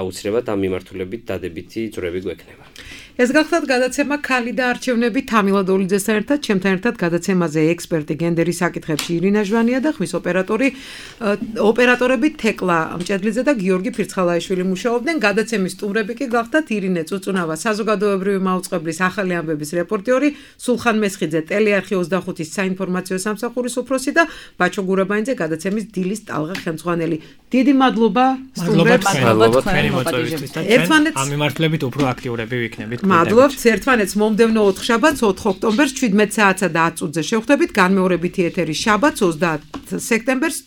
აუცილებლად ამ მიმართულებით დადებითი ძვრები გვექნება. ეს გახლავთ გადაცემა ქალი და არჩევნები თამილა დოლიძესთან ერთად, ჩემთან ერთად გადაცემაზე ექსპერტი გენდერის საკითხებში ირინა ჟვანია და ხმის ოპერატორები თეკლა მჭედლიძე და გიორგი ფირცხალაიშვილი მუშაობდნენ. გადაცემის სტუმრები კი გახლავთ ირინე წუწუნავა, საზოგადოებრივი მაუწყებლის ახალი ამბების რეპორტიორი, სულხან მესხიძე, ტელეარხი 25-ის საინფორმაციო სამსახურის უფროსი და ბაჩო გურაბაინძე, გადაცემის დილის ტალღა ხელმძღვანელი. დიდი მადლობა სტუმრებს. თქვენი მოწვევისთვის და ჩვენ ამ მიმართულებით უფრო აქტიურები ვიქნებით. მადლობთ ერთმანეთს მომდევნო 4 შაბათს 4 ოქტომბერს 17 საათსა და 10 წუთზე შევხვდებით განმეორებითი ეთერი შაბათს 30 სექტემბერს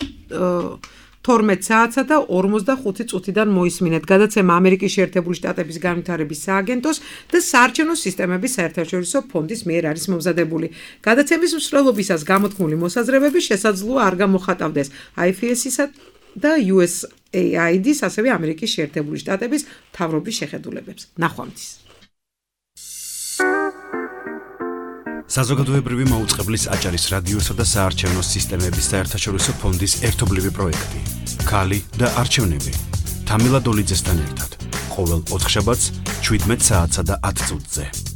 12 საათსა და 45 წუთიდან მოისმინეთ. გადაცემა ამერიკის შეერთებული შტატების განვითარების სააგენტოს და საარჩევნო სისტემების საერთაშორისო ფონდის მიერ არის მომზადებული. გადაცემის მსვლელობისას გამოთქმული მოსაზრებები შესაძლოა არ გამოხატავდეს IFS-ისა და USAID-ის, ასევე ამერიკის შეერთებული შტატების მთავრობის შეხედულებებს. ნახვამდის. საზოგადოებრივი მაუწყებლის აჭარის რადიოსა და საარჩევნო სისტემების საერთაშორისო ფონდის ერთობლივი პროექტი. ქალი და არჩევნები. თამილა დოლიძესთან ერთად. ყოველ ოთხშაბათს 17 საათსა და 10 წუთზე.